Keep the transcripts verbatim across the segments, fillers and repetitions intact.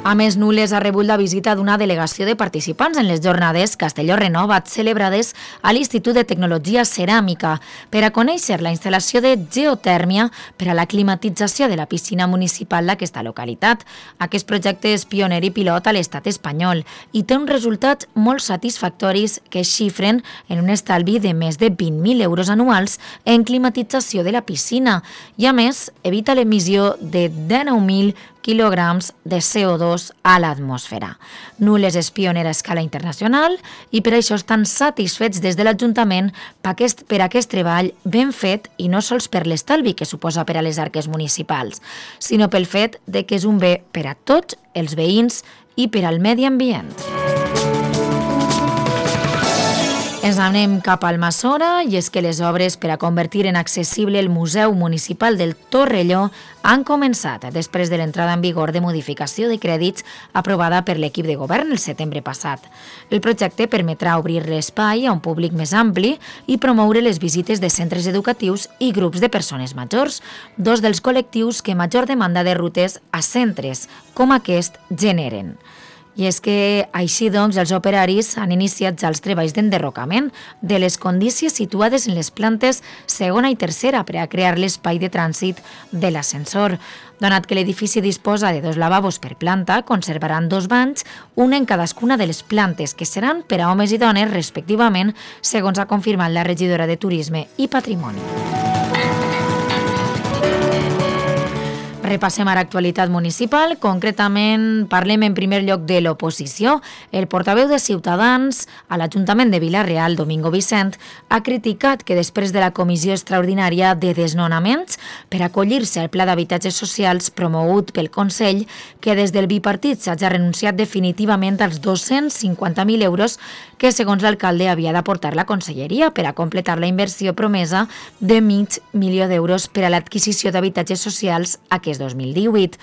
A més, Nules ha rebut la visita d'una delegació de participants en les jornades Castelló Renovat celebrades a l'Institut de Tecnologia Ceràmica per a conèixer la instal·lació de geotèrmia per a la climatització de la piscina municipal d'aquesta localitat. Aquest projecte és pioner i pilot a l'estat espanyol i té uns resultats molt satisfactoris que es xifren en un estalvi de més de vint mil euros anuals en climatització de la piscina i, a més, evita l'emissió de dinou mil quilograms de C O dos a l'atmosfera. Nules és pionera a escala internacional i per això estan satisfets des de l'Ajuntament per aquest, per aquest treball ben fet i no sols per l'estalvi que suposa per a les arques municipals, sinó pel fet de que és un bé per a tots els veïns i per al medi ambient. Ens anem cap al Almassora i és que les obres per a convertir en accessible el Museu Municipal del Torrelló han començat després de l'entrada en vigor de modificació de crèdits aprovada per l'equip de govern el setembre passat. El projecte permetrà obrir l'espai a un públic més ampli i promoure les visites de centres educatius i grups de persones majors, dos dels col·lectius que major demanda de rutes a centres com aquest generen. I és que, així doncs, els operaris han iniciat ja els treballs d'enderrocament de les condícies situades en les plantes segona i tercera per a crear l'espai de trànsit de l'ascensor. Donat que l'edifici disposa de dos lavabos per planta, conservaran dos banys, un en cadascuna de les plantes, que seran per a homes i dones respectivament, segons ha confirmat la regidora de Turisme i Patrimoni. Repassem ara actualitat municipal, concretament parlem en primer lloc de l'oposició. El portaveu de Ciutadans a l'Ajuntament de Vila-real, Domingo Vicent, ha criticat que després de la comissió extraordinària de desnonaments per acollir-se al Pla d'Habitatges Socials promogut pel Consell, que des del bipartit s'hagi renunciat definitivament als dos-cents cinquanta mil euros que, segons l'alcalde, havia d'aportar la Conselleria per a completar la inversió promesa de mig milió d'euros per a l'adquisició d'habitatges socials aquest dos mil divuit.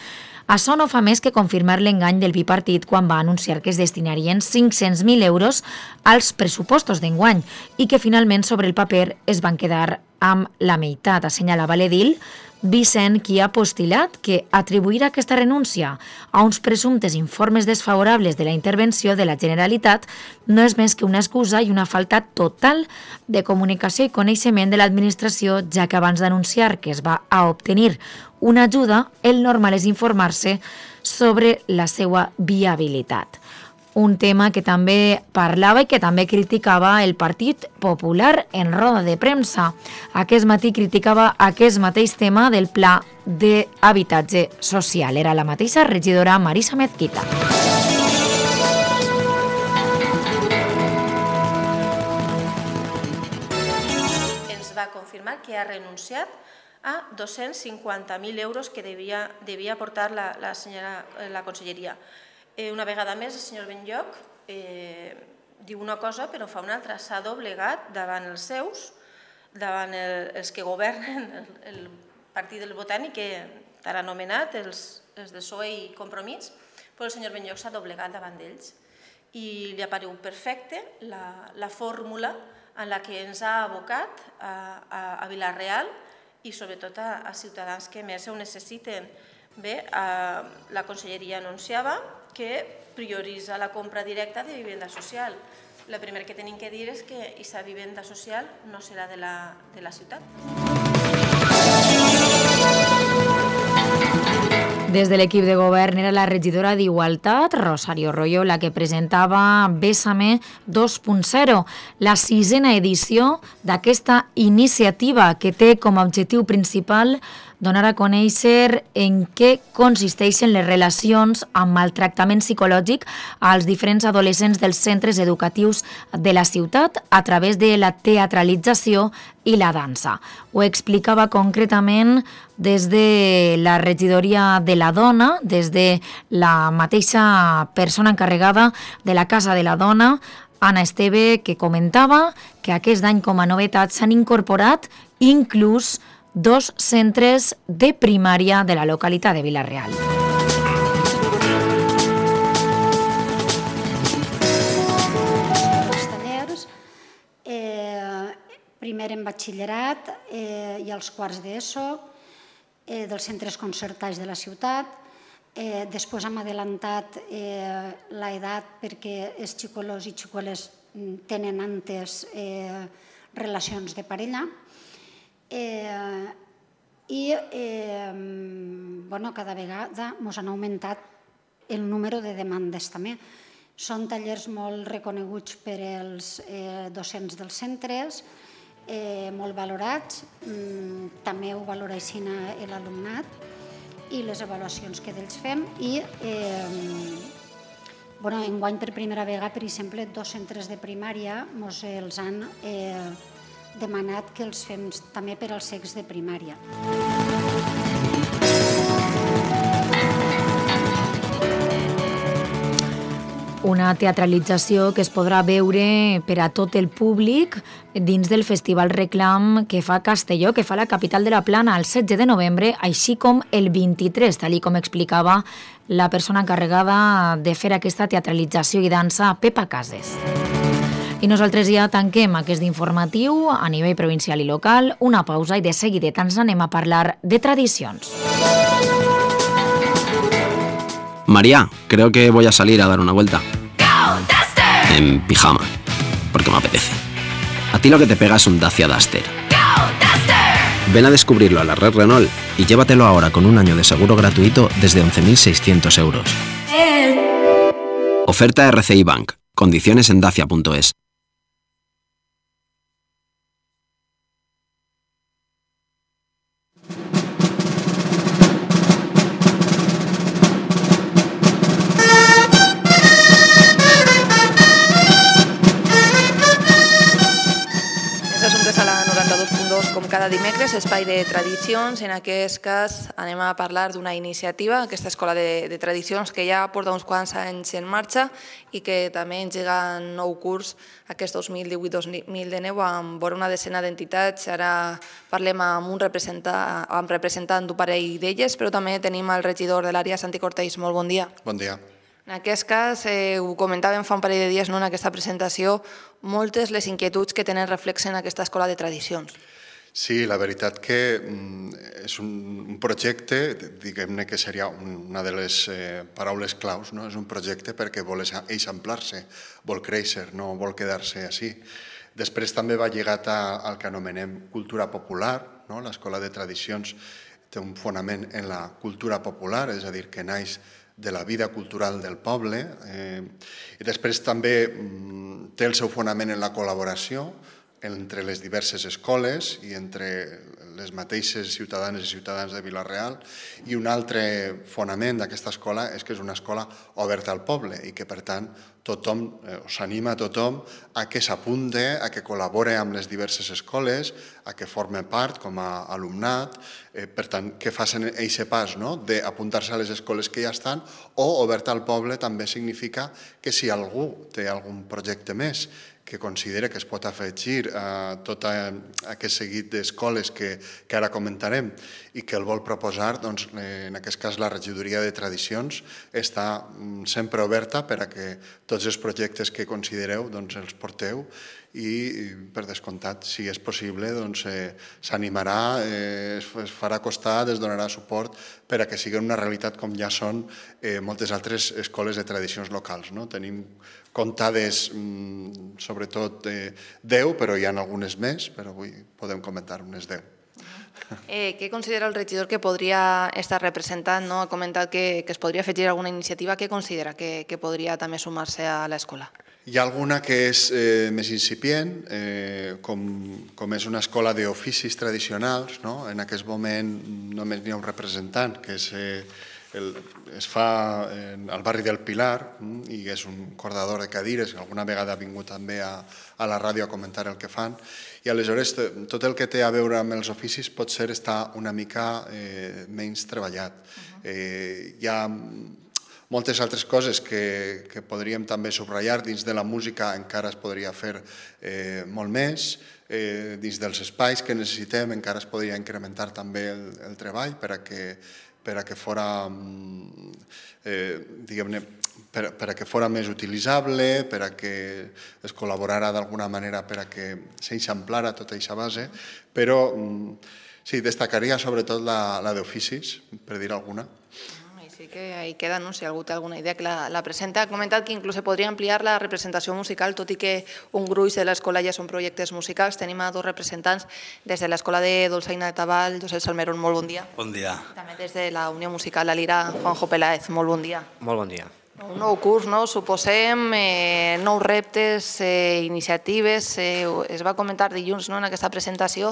Això no fa més que confirmar l'engany del bipartit quan va anunciar que es destinarien cinc-cents mil euros als pressupostos d'enguany i que finalment sobre el paper es van quedar amb la meitat, assenyalava l'edil Vicent, qui ha postulat que atribuir aquesta renúncia a uns presumptes informes desfavorables de la intervenció de la Generalitat no és més que una excusa i una falta total de comunicació i coneixement de l'administració, ja que abans d'anunciar que es va a obtenir una ajuda, el normal és informar-se sobre la seva viabilitat. Un tema que també parlava i que també criticava el Partit Popular en roda de premsa. Aquest matí criticava aquest mateix tema del Pla d'Habitatge Social. Era la mateixa regidora Marisa Mezquita. Ens va confirmar que ha renunciat a dos-cents cinquanta mil euros que devia, devia aportar la, la, senyora, la Conselleria. Eh, una vegada més, el senyor Benlloc eh, diu una cosa però fa una altra. S'ha doblegat davant els seus, davant el, els que governen el, el partit del Botànic, que t'ha anomenat els, els de P S O E i Compromís, però el senyor Benlloc s'ha doblegat davant d'ells. I li ha paregut perfecte la, la fórmula en la que ens ha abocat a, a, a Vila-real i sobretot a, a ciutadans que més ho necessiten. Bé, a, la Conselleria anunciava que prioritza la compra directa de vivenda social. El primer que tenim que dir és que aquesta vivenda social no serà de la, de la ciutat. Des de l'equip de govern era la regidora d'Igualtat, Rosario Royo, la que presentava Bésame dos punt zero, la sisena edició d'aquesta iniciativa que té com a objectiu principal donar a conèixer en què consisteixen les relacions amb maltractament psicològic als diferents adolescents dels centres educatius de la ciutat a través de la teatralització i la dansa. Ho explicava concretament des de la regidoria de la dona, des de la mateixa persona encarregada de la Casa de la Dona, Anna Esteve, que comentava que aquest any com a novetat s'han incorporat inclús dos centres de primària de la localitat de Vila-real. Els tallers, eh, primer en batxillerat eh, i els quarts d'ESO, eh, dels centres concertats de la ciutat, Eh, després hem adelantat eh, l'edat perquè els xicolos i xicoles tenen antes eh, relacions de parella. Eh, I eh, bueno, cada vegada ens han augmentat el número de demandes també. Són tallers molt reconeguts per als eh, docents dels centres, eh, molt valorats, mm, també ho valora així l'alumnat, i les avaluacions que d'ells fem. I eh, bueno, enguany per primera vegada, per exemple, dos centres de primària ens els han eh, demanat que els fem també per als cecs de primària. Una teatralització que es podrà veure per a tot el públic dins del Festival Reclam que fa Castelló, que fa la capital de la Plana el setze de novembre, així com el vint-i-tres, tal com explicava la persona encarregada de fer aquesta teatralització i dansa, Pepa Cases. I nosaltres ja tanquem aquest informatiu a nivell provincial i local, una pausa i de seguidet ens anem a parlar de tradicions. María, creo que voy a salir a dar una vuelta. En pijama, porque me apetece. A ti lo que te pega es un Dacia Duster. Ven a descubrirlo a la red Renault y llévatelo ahora con un año de seguro gratuito desde once mil seiscientos euros. Oferta R C I Bank. Condiciones en dacia punto es. Com cada dimecres, espai de tradicions. En aquest cas anem a parlar d'una iniciativa, aquesta escola de, de tradicions que ja porta uns quants anys en marxa i que també engega nou curs aquest dos mil divuit dos mil dinou amb vora una decena d'entitats. Ara parlem amb un representant, amb representant d'un parell d'elles, però també tenim el regidor de l'àrea, Santi Cortells. Molt bon dia. Bon dia. En aquest cas, eh, ho comentàvem fa un parell de dies, no, en aquesta presentació, moltes les inquietuds que tenen reflex en aquesta escola de tradicions. Sí, la veritat que és un projecte, diguem-ne que seria una de les paraules claus, no? És un projecte perquè vol eixamplar-se, vol créixer, no vol quedar-se així. Després també va lligat al que anomenem cultura popular, no? L'escola de tradicions té un fonament en la cultura popular, és a dir, que naix de la vida cultural del poble, i després també té el seu fonament en la col·laboració entre les diverses escoles i entre les mateixes ciutadanes i ciutadans de Vila-real, i un altre fonament d'aquesta escola és que és una escola oberta al poble i que, per tant, tothom, s'anima a tothom a que s'apunte, a que col·labore amb les diverses escoles, a que forme part com a alumnat, per tant, que facin aquest pas d'apuntar-se a les escoles que ja estan, o oberta al poble també significa que si algú té algun projecte més que considera que es pot afegir a tot aquest seguit d'escoles que ara comentarem i que el vol proposar, doncs en aquest cas la regidoria de tradicions està sempre oberta per a que tots els projectes que considereu els porteu i, per descomptat, si és possible, s'animarà, es farà costat, es donarà suport per a que siguin una realitat com ja són moltes altres escoles de tradicions locals. Tenim comptades, sobretot, deu, però hi ha algunes més, però avui podem comentar unes deu. Què considera el regidor que podria estar representant? Ha comentat que es podria afegir alguna iniciativa. Què considera que podria també sumar-se a l'escola? Hi ha alguna que és més incipient, com és una escola d'oficis tradicionals. En aquest moment només n'hi ha un representant, que es fa al barri del Pilar, i és un cordador de cadires, que alguna vegada ha vingut també a la ràdio a comentar el que fan. I aleshores tot el que té a veure amb els oficis potser està una mica menys treballat. Hi ha moltes altres coses que podríem també subratllar. Dins de la música encara es podria fer molt més. Dins dels espais que necessitem encara es podria incrementar també el treball per a que per a que fora, diguem-ne, per a que fora més utilitzable, per a que es col·laborara d'alguna manera per a que s'eixamplara tota aquesta base, però sí, destacaria sobretot la d'oficis, per dir alguna. Així que ahí queda, no? Si algú té alguna idea que la, la presenta. Ha comentat que inclús se podria ampliar la representació musical, tot i que un gruix de l'escola ja són projectes musicals. Tenim a dos representants des de l'escola de Dolçaina de Tabal, Josep Salmerón, molt bon dia. Bon dia. També des de la Unió Musical La Lira, Juanjo Peláez, molt bon dia. Molt bon dia. Un nou curs, no? Suposem, eh, nous reptes, eh, iniciatives. Eh, es va comentar dilluns, no?, en aquesta presentació,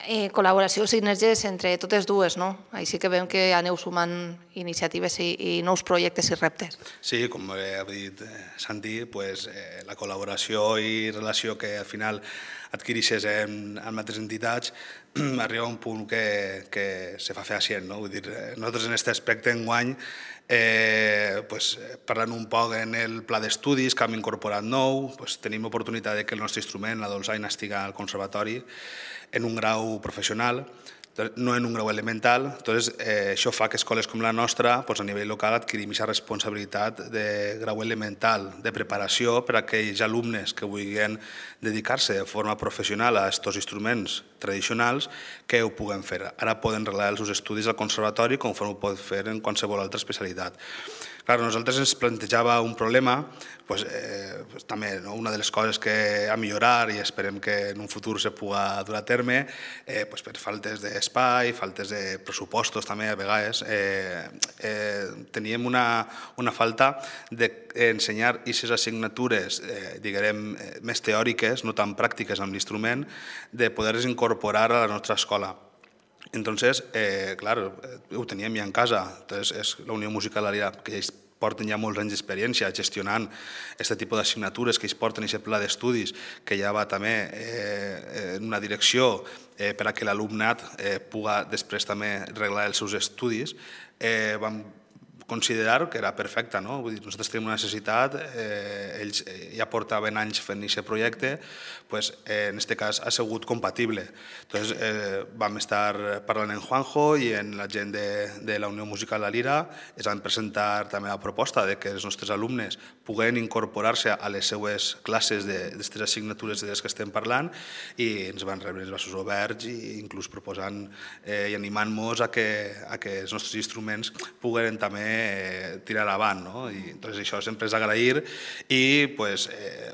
eh, col·laboració, sinergies entre totes dues, no? Així que veiem que aneu sumant iniciatives i, i nous projectes i reptes. Sí, com ha dit Santi, pues, eh, la col·laboració i relació que al final adquireixes en, en altres entitats arriba a un punt que, que se fa fehacient, no? Vull dir, nosaltres en aquest aspecte enguany Eh, pues, parlant un poc en el pla d'estudis que hem incorporat nou, pues, tenim oportunitat de que el nostre instrument, la dolçaina, estigui al conservatori en un grau professional, no en un grau elemental. Entonces, eh, això fa que escoles com la nostra, pues, a nivell local, adquirim aquesta responsabilitat de grau elemental, de preparació per a aquells alumnes que vulguin dedicar-se de forma professional a aquests instruments tradicionals, que ho puguen fer. Ara poden regalar els seus estudis al conservatori conforme ho poden fer en qualsevol altra especialitat. Clar, nosaltres ens plantejava un problema, pues, eh, pues, també, no? Una de les coses que a millorar i esperem que en un futur se pugui dur a terme, eh, pues, per faltes d'espai, faltes de pressupostos també a vegades, eh, eh, teníem una, una falta d'ensenyar aquestes assignatures, eh, diguem, més teòriques, no tan pràctiques amb l'instrument, de poder-les incorporar a la nostra escola. Entonces, eh, claro, ho teníem ja en casa. Entonces, és la Unió Musical La Lira, que ells porten ja molts anys d'experiència gestionant aquest tipus d'assignatures, que ells porten aquest pla d'estudis, que ja va també eh, en una direcció eh, per a que l'alumnat eh, pugui després també reglar els seus estudis. Eh, vam considerar que era perfecta, no? Vull dir, nosaltres tenim una necessitat, eh, ells ja portaven anys fent aquest projecte, pues, eh, en aquest cas ha sigut compatible. Entonces, eh, vam estar parlant en Juanjo i en la gent de, de la Unió Musical La Lira, es van presentar també la proposta de que els nostres alumnes puguen incorporar-se a les seues classes d'aquestes assignatures de les que estem parlant, i ens van rebre els braços oberts i inclús proposant eh, i animant-nos a, que, a que els nostres instruments puguen també tirar avant, no? I entonces això sempre és agrair i pues, eh,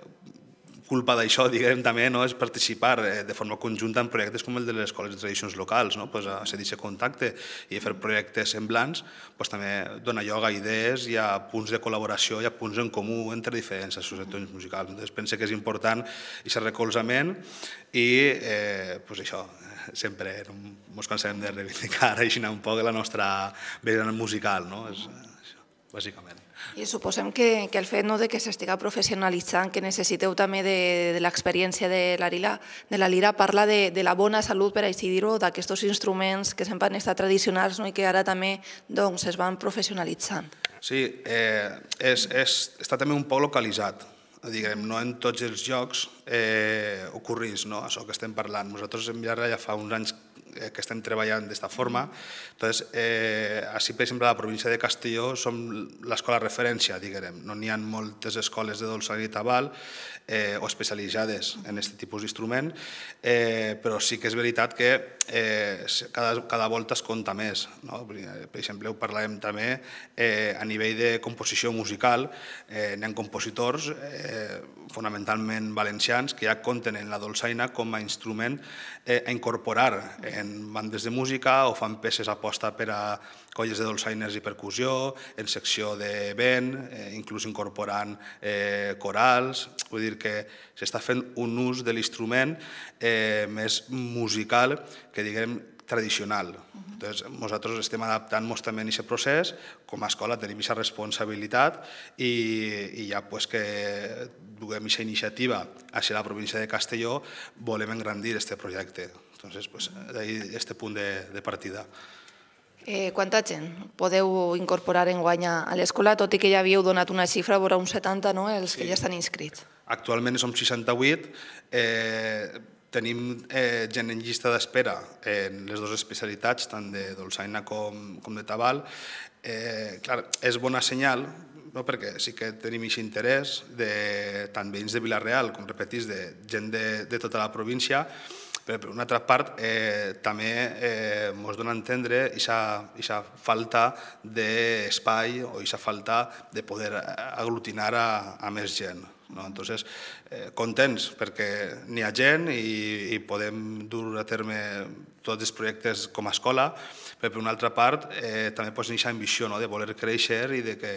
culpa d'això, diguem, també, no? És participar eh, de forma conjunta en projectes com el de les escoles de tradicions locals, no? Pues, a cedir aquest contacte i fer projectes semblants, pues, també dona lloc a idees i a punts de col·laboració i a punts en comú entre diferents associacions musicals. Entonces pense que és important aquest recolzament i eh, pues, això, sempre no ens cansem de reivindicar així un poc la nostra vessant musical, no? És això, bàsicament. I suposem que, que el fet, no, de que s'estiga professionalitzant, que necessiteu també de, de l'experiència de la Lira, de la Lira parla de, de la bona salut, per així dir-ho, d'aquests instruments que sempre han estat tradicionals, no, i que ara també doncs, es van professionalitzant. Sí, eh, és, és, està també un poc localitzat. Diguem, no en tots els llocs eh, ocorreix, no? Això que estem parlant. Nosaltres en Villarreal ja fa uns anys eh, que estem treballant d'esta forma. Entonces, eh, així, per exemple, a la província de Castelló som l'escola referència, diguem. No n'hi ha moltes escoles de dolçaina i tabal eh, o especialitzades en aquest tipus d'instrument, eh, però sí que és veritat que eh, cada, cada volta es compta més, no? Per exemple, ho parlàvem també eh, a nivell de composició musical, eh, n'hi ha compositors eh, fonamentalment valencians que ja compten en la dolçaina com a instrument eh, a incorporar en bandes de música o fan peces a posta per a colles de dolçaines i percussió, en secció de vent, eh, inclús incorporant eh, corals. Vull dir que s'està fent un ús de l'instrument eh, més musical que, diguem, tradicional. Entonces, nosaltres estem adaptant-nos també en aquest procés, com a escola tenim aquesta responsabilitat i, i ja pues, que duguem aquesta iniciativa hacia la província de Castelló, volem engrandir aquest projecte. Entonces, pues, d'ahí este punt de, de partida. Eh, quanta gent podeu incorporar enguany a l'escola, tot i que ja havíeu donat una xifra, vora uns setanta, no?, els que ja estan inscrits. Actualment som seixanta-vuit, eh, tenim eh, gent en llista d'espera en les dues especialitats, tant de dolçaina com, com de tabal. Eh, clar, és bona senyal, no? Perquè sí que tenim aquest interès de tant veïns de Vila-real com, repetís, de gent de, de tota la província, Però, per una altra part, eh, també eh, ens dona a entendre aquesta falta d'espai o aquesta falta de poder aglutinar a, a més gent. No? Entonces, eh, contents perquè n'hi ha gent i, i podem dur a terme tots els projectes com a escola, però per una altra part eh, també pues, aquesta ambició, no? De voler créixer i de que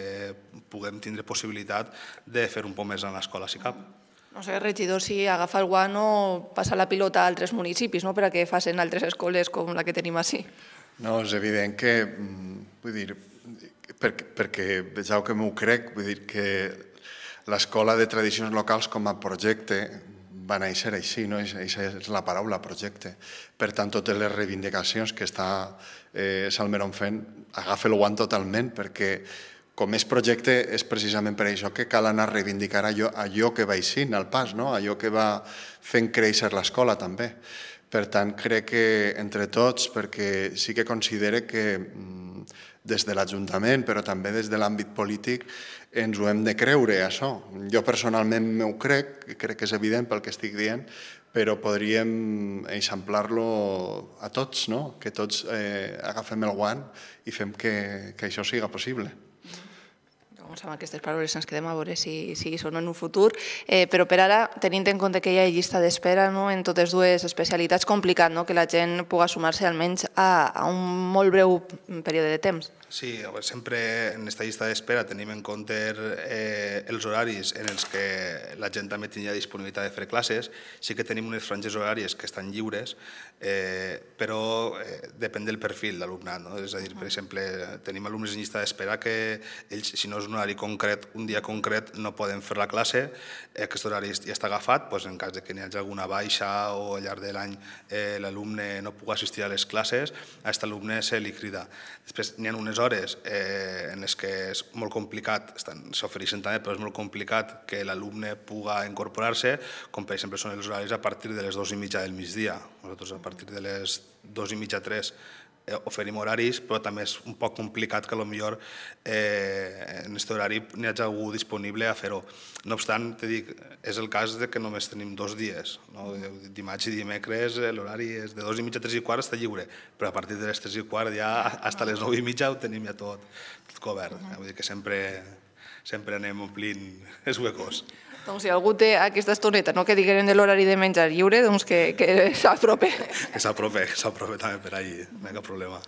puguem tindre possibilitat de fer un poc més en l'escola, si cap. No sé, regidor, si agafa el guant o passa la pilota a altres municipis, no? Per a què facin altres escoles com la que tenim així. No, és evident que, vull dir, perquè, perquè vegeu que m'ho crec, vull dir que l'Escola de Tradicions Locals com a projecte va néixer així, no? Aquesta és la paraula, projecte. Per tant, totes les reivindicacions que està eh, Salmeron fent, agafa el guant totalment, perquè com és projecte és precisament per això que cal anar a reivindicar allò, allò que va eixint al pas, no? Allò que va fent créixer l'escola també. Per tant, crec que entre tots, perquè sí que considere que des de l'Ajuntament, però també des de l'àmbit polític, ens ho hem de creure, això. Jo personalment m'ho crec, crec que és evident pel que estic dient, però podríem eixamplar-lo a tots, no? Que tots eh, agafem el guant i fem que, que això siga possible. Doncs amb aquestes paraules ens quedem a veure si, si són en un futur, eh, però per ara, tenint en compte que hi ha llista d'espera, no, en totes dues especialitats, complicat, no, que la gent pugui sumar-se almenys a, a un molt breu període de temps. Sí, sempre en aquesta llista d'espera tenim en compte eh, els horaris en els que la gent també tindria disponibilitat de fer classes. Sí que tenim unes franges horàries que estan lliures, eh, però eh, depèn del perfil d'alumnat. No? És a dir, per exemple, tenim alumnes en llista d'espera que ells, si no és un horari concret, un dia concret, no poden fer la classe. Aquest horari ja està agafat, doncs en cas de que n'hi hagi alguna baixa o al llarg de l'any eh, l'alumne no pugui assistir a les classes, a aquest alumne se li crida. Després n'hi ha unes hores eh, en les que és molt complicat, s'ofereixen també, però és molt complicat que l'alumne pugui incorporar-se, com per exemple són els horaris a partir de les dues i mitja del migdia. Nosaltres a partir de les dues i mitja, tres, eh, oferim horaris, però també és un poc complicat que potser eh, en aquest horari n'hi hagi algú disponible a fer-ho. No obstant, te dic, és el cas de que només tenim dos dies. No? Dimarts i dimecres l'horari és de dos i mitja a tres i quart, està lliure, però a partir de les tres i quart ja fins a les nou i mitja ho tenim ja tot, tot cobert. Vull dir que sempre, sempre anem omplint els huecos. Doncs si algú té aquesta estoneta, no que diguem de l'horari de menjar lliure, doncs que, que s'aprope. Que s'aprope, que s'aprope també per ahí, no hi ha cap problema.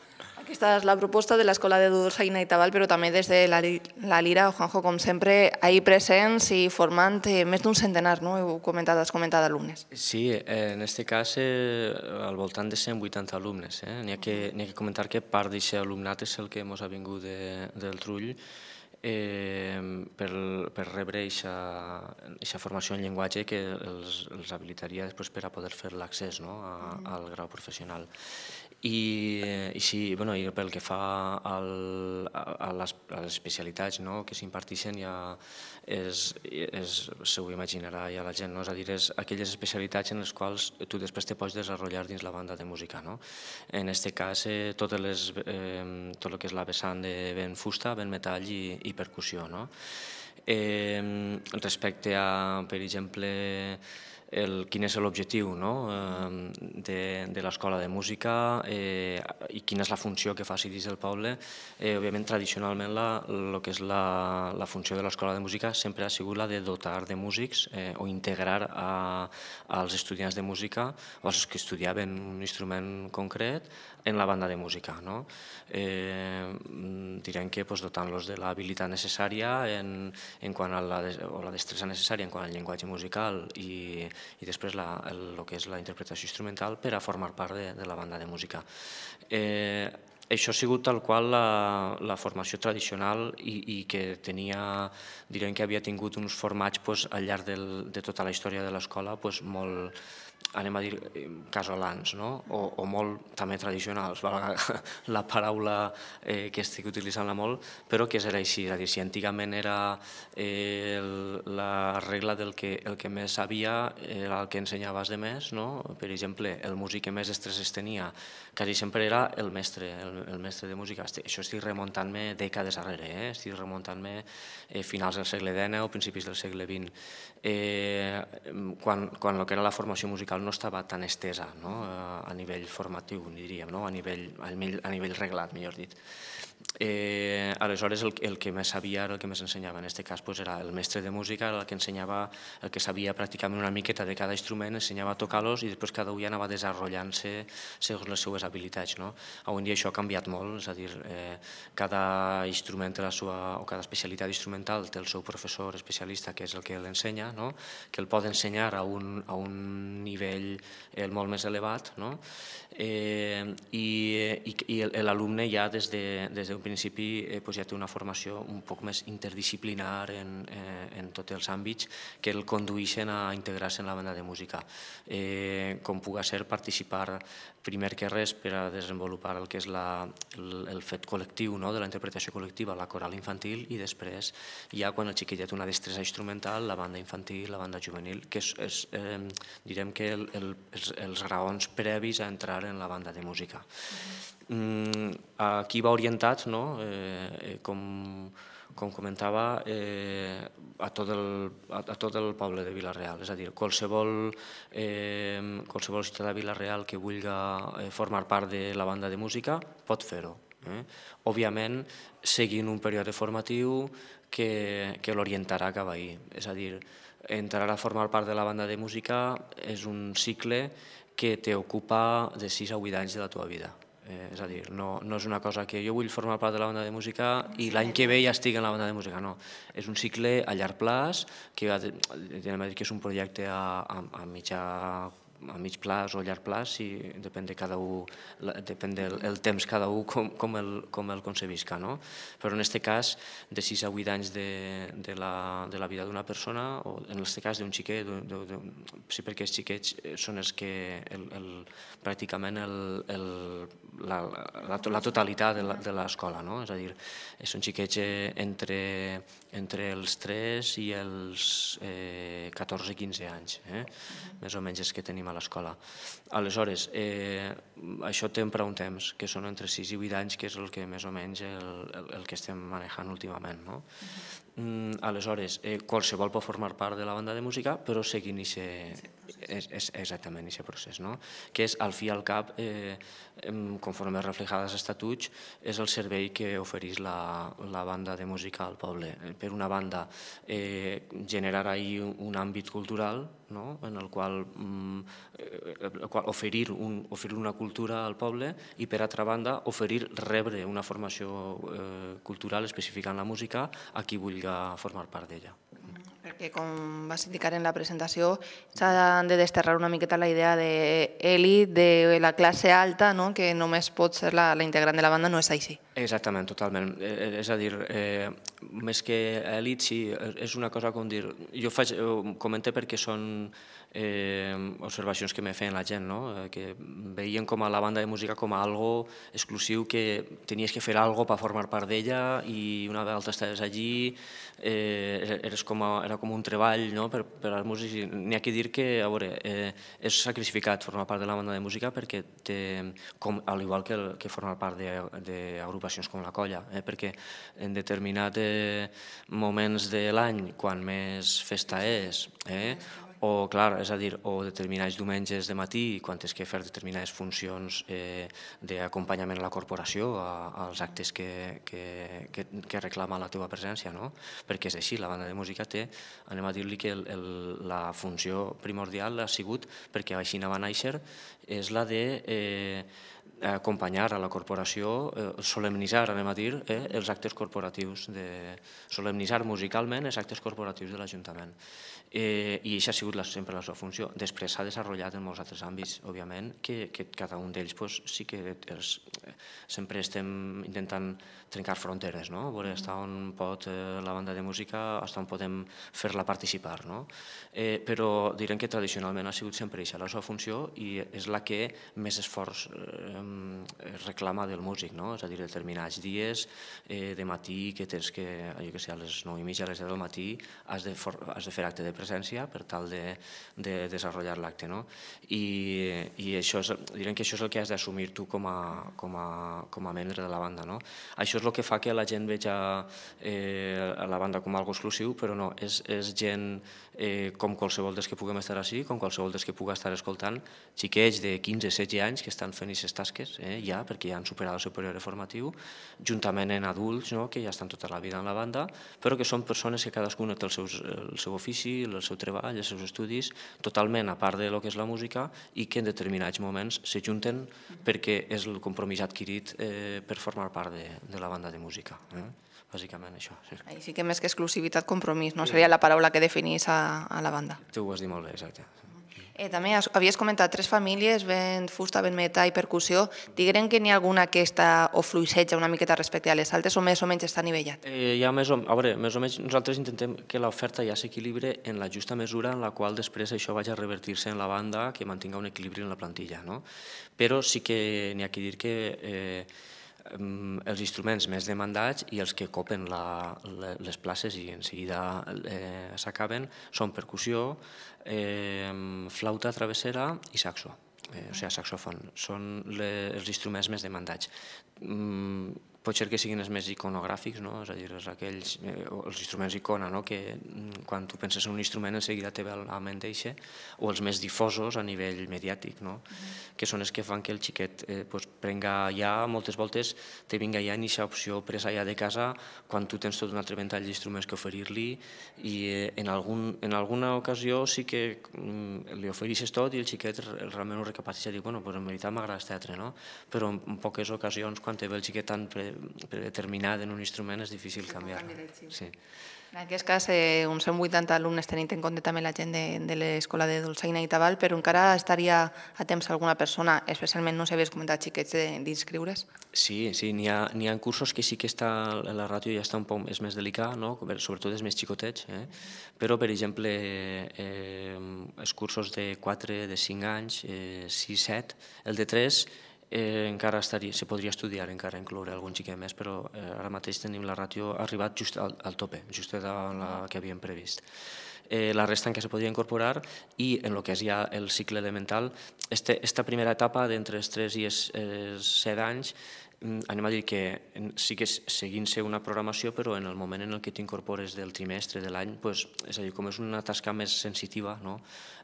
Aquesta és la proposta de l'Escola de Dolçaina i Tabal, però també des de la, la Lira, Juanjo, com sempre, ahir presents i formant eh, més d'un centenar, no? Heu comentat, has comentat alumnes. Sí, eh, en aquest cas eh, al voltant de cent vuitanta alumnes. Eh? N'hi ha, que, n'hi ha que comentar que part d'aquest alumnat és el que ens ha vingut de, del Trull, Eh, per, per rebre aquesta formació en llenguatge que els, els habilitaria després per a poder fer l'accés, no, a, al grau professional. I, i, sí, bueno, i pel que fa al, a, les, a les especialitats, no, que s'imparteixen, ja és, és, se ho imaginarà ja la gent, no? És a dir, és aquelles especialitats en les quals tu després te pots desenvolupar dins la banda de música. No? En aquest cas, eh, totes les, eh, tot el que és la vessant de vent fusta, vent metall i, i percussió. No? Eh, respecte a, per exemple, el, quin és l'objectiu, no? de, de l'escola de música eh, i quina és la funció que faci dins del poble. Eh, òbviament, tradicionalment, la, el que és la, la funció de l'escola de música sempre ha sigut la de dotar de músics eh, o integrar a, als estudiants de música o als que estudiaven un instrument concret en la banda de música. No? Eh, direm que pues, dotant-los de l'habilitat necessària en, en quant a la, o la destressa necessària en quant al llenguatge musical i, i després la, el, el que és la interpretació instrumental per a formar part de, de la banda de música. Eh, això ha sigut tal qual la, la formació tradicional i, i que tenia, direm que havia tingut uns formats pues, al llarg del, de tota la història de l'escola pues, molt, anem a dir, casolans, no? o, o molt també tradicionals, valga la paraula eh, que estic utilitzant-la molt, però que era així, és a dir, si antigament era eh, el, la regla del que el que més sabia era el que ensenyaves de més, no? Per exemple, el músic que més estresses tenia quasi sempre era el mestre, el, el mestre de música, això estic remuntant-me dècades darrere, eh? estic remuntant-me eh, finals del segle dinou o principis del segle vint, eh, quan, quan el que era la formació musical no estava tan estesa, no? a, a nivell formatiu, diríem, no? a, nivell, a, nivell, a nivell reglat, millor dit. Eh, aleshores el, el que més sabia era el que més ensenyava, en aquest cas pues, era el mestre de música, el que ensenyava, el que sabia pràcticament una miqueta de cada instrument, ensenyava a tocar-los i després cada un ja anava desenvolupant-se segons les seues habilitats. No? Avui en dia això ha canviat molt, és a dir, eh, cada instrument té la seva, o cada especialitat instrumental té el seu professor especialista que és el que l'ensenya, no? que el pot ensenyar a un, a un nivell eh, molt més elevat, no? eh, i, i, i l'alumne ja des de, des d'un principi eh, pues ja té una formació un poc més interdisciplinar en, eh, en tots els àmbits que el condueixen a integrar-se en la banda de música. Eh, com pugui ser participar primer que res per a desenvolupar el que és la, el, el fet col·lectiu, no? de la interpretació col·lectiva, la coral infantil, i després ja quan el xiquet té una destresa instrumental, la banda infantil, la banda juvenil, que és, és eh, direm que el, el, els, els raons previs a entrar en la banda de música. Mm, aquí va orientat, no? eh, com, com comentava, eh, a, tot el, a, a tot el poble de Vila-real. És a dir, qualsevol, eh, qualsevol ciutadà de Vila-real que vulgui eh, formar part de la banda de música pot fer-ho. Eh? Òbviament, seguint un període formatiu que, que l'orientarà cap ahí. És a dir, entrar a formar part de la banda de música és un cicle que t'ocupa de sis a vuit anys de la teva vida. Eh, és a dir, no, no és una cosa que jo vull formar part de la banda de música i l'any que ve ja estic en la banda de música, no. És un cicle a llarg plaç, que, que és un projecte a, a, a mitjà a mig plaç o llarg plaç, si depèn de cada un, depèn del el temps cada un com, com, el, com el concevisca, no? Però en aquest cas, de sis a vuit anys de, de, la, de la vida d'una persona, o en aquest cas d'un xiquet, de, de, de, sí, perquè els xiquets són els que el, el, pràcticament el, el, la, la, la totalitat de l'escola, no? És a dir, són xiquets entre, entre els tres i els eh, catorze a quinze anys, eh? Més o menys els que tenim a l'escola. Aleshores, eh, això té prou temps, que són entre sis i vuit anys, que és el que més o menys el, el, el que estem manejant últimament. No? Mm, aleshores, eh, qualsevol pot formar part de la banda de música, però seguint aquest exactament aquest procés, no? Que és, al fi i al cap, eh, conforme reflejat als estatuts, és el servei que ofereix la, la banda de música al poble. Per una banda, eh, generar ahir un, un àmbit cultural, no? En el qual, mm, el qual oferir, un, oferir una cultura al poble i, per altra banda, oferir rebre una formació eh, cultural específica en la música a qui vulgui formar part d'ella. Perquè, com vas indicar en la presentació, s'ha de desterrar una miqueta la idea d'elit, de la classe alta, no? Que només pot ser la, la integrant de la banda, no és així. Exactament, totalment. Eh, és a dir, eh, més que elit, sí, és una cosa com dir... Jo faig, comento perquè són eh, observacions que me feien la gent, no? Eh, que veien com a la banda de música com a algo exclusiu, que tenies que fer algo per formar part d'ella i una vegada estaves allí eh, eres com a, era com un treball, no? per, per als músics. N'hi ha que dir que, a veure, eh, és sacrificat formar part de la banda de música perquè té, com, al igual que, el, que formar part d'agrupacions com la Colla, eh? Perquè en determinats eh, moments de l'any, quan més festa és, eh? o, clar, és a dir, o determinats diumenges de matí, quan tens que fer determinades funcions eh, d'acompanyament a la corporació, a, als actes que, que, que, que reclama la teva presència, no? Perquè és així, la banda de música té, anem a dir-li que el, el, la funció primordial ha sigut, perquè així va néixer, és la de eh, acompanyar a la corporació, eh, solemnitzar, anem a dir, eh, els actes corporatius, de solemnitzar musicalment els actes corporatius de l'Ajuntament. Eh, I això ha sigut la, sempre la seva funció. Després s'ha desenvolupat en molts altres àmbits, òbviament, que, que cada un d'ells pues, sí que els, sempre estem intentant trencar fronteres, no? Veure fins on pot eh, la banda de música, fins on podem fer-la participar, no? Eh, però direm que tradicionalment ha sigut sempre això la seva funció i és la que més esforç eh, reclama del músic, no? És a dir, determinats dies de matí que tens que, jo què sé, a les nou i mitja, a les deu del matí, has de fer acte de presència per tal de desenvolupar l'acte, no? I direm que això és el que has d'assumir tu com a membre de la banda, no? Això és el que fa que la gent veja la banda com algo exclusiu, però no, és gent com qualsevol dels que puguem estar així, com qualsevol dels que puga estar escoltant, xiquets de quinze setze anys que estan fent aquestes tasques ja, perquè ja han superat el seu període formatiu, juntament amb adults que ja estan tota la vida en la banda, però que són persones que cadascuna té el seu ofici, el seu treball, els seus estudis, totalment a part del que és la música i que en determinats moments s'ajunten perquè és el compromís adquirit per formar part de la banda de música. Bàsicament això. Així que més que exclusivitat, compromís, no? Seria la paraula que definís a la banda. Tu ho has dit molt bé, exacte. També havies comentat tres famílies, vent, fusta, vent metà i percussió. Diguem que n'hi ha alguna que està o fluixeja una miqueta respecte a les altres o més o menys està nivellat? Hi ha més o menys, nosaltres intentem que l'oferta ja s'equilibre en la justa mesura en la qual després això vagi a revertir-se en la banda, que mantinga un equilibri en la plantilla. Però sí que n'hi ha que dir que els instruments més demandats i els que copen les places i en seguida s'acaben són percussió, flauta travessera i saxo, o sigui, saxofon. Són els instruments més demandats. Pot ser que siguin els més iconogràfics, és a dir, els instruments icona, que quan tu penses en un instrument en seguida te ve a la ment eixe, o els més difosos a nivell mediàtic, que són els que fan que el xiquet prenga ja, moltes voltes, te vinga ja en aquesta opció presa ja de casa, quan tu tens tot un altre ventall d'instruments que oferir-li, i en alguna ocasió sí que li ofereixes tot i el xiquet realment ho recapacita i diu, bueno, en veritat m'agrada el teatre, però en poques ocasions, quan te ve el xiquet tan predeterminat en un instrument és difícil canviar-lo. En aquest cas, uns cent vuitanta alumnes tenint en compte també la gent de l'Escola de Dolçaina i Tabal, però encara estaria a temps alguna persona, especialment, no sé, havies comentat xiquets, d'inscriure's? Sí, sí, n'hi ha cursos que sí que la ràtio ja està un poc més delicada, sobretot els més xicotets, però, per exemple, els cursos de quatre, de cinc anys, sis, set, el de tres, encara se podria estudiar, encara incloure algun xiquet més, però ara mateix tenim la ràtio arribat just al tope, just de la que havíem previst. La resta encara se podria incorporar i en el que és ja el cicle elemental, aquesta primera etapa d'entre els tres i els set anys, anem a dir que sí que seguint-se una programació, però en el moment en què t'incorpores del trimestre, de l'any, és a dir, com és una tasca més sensitiva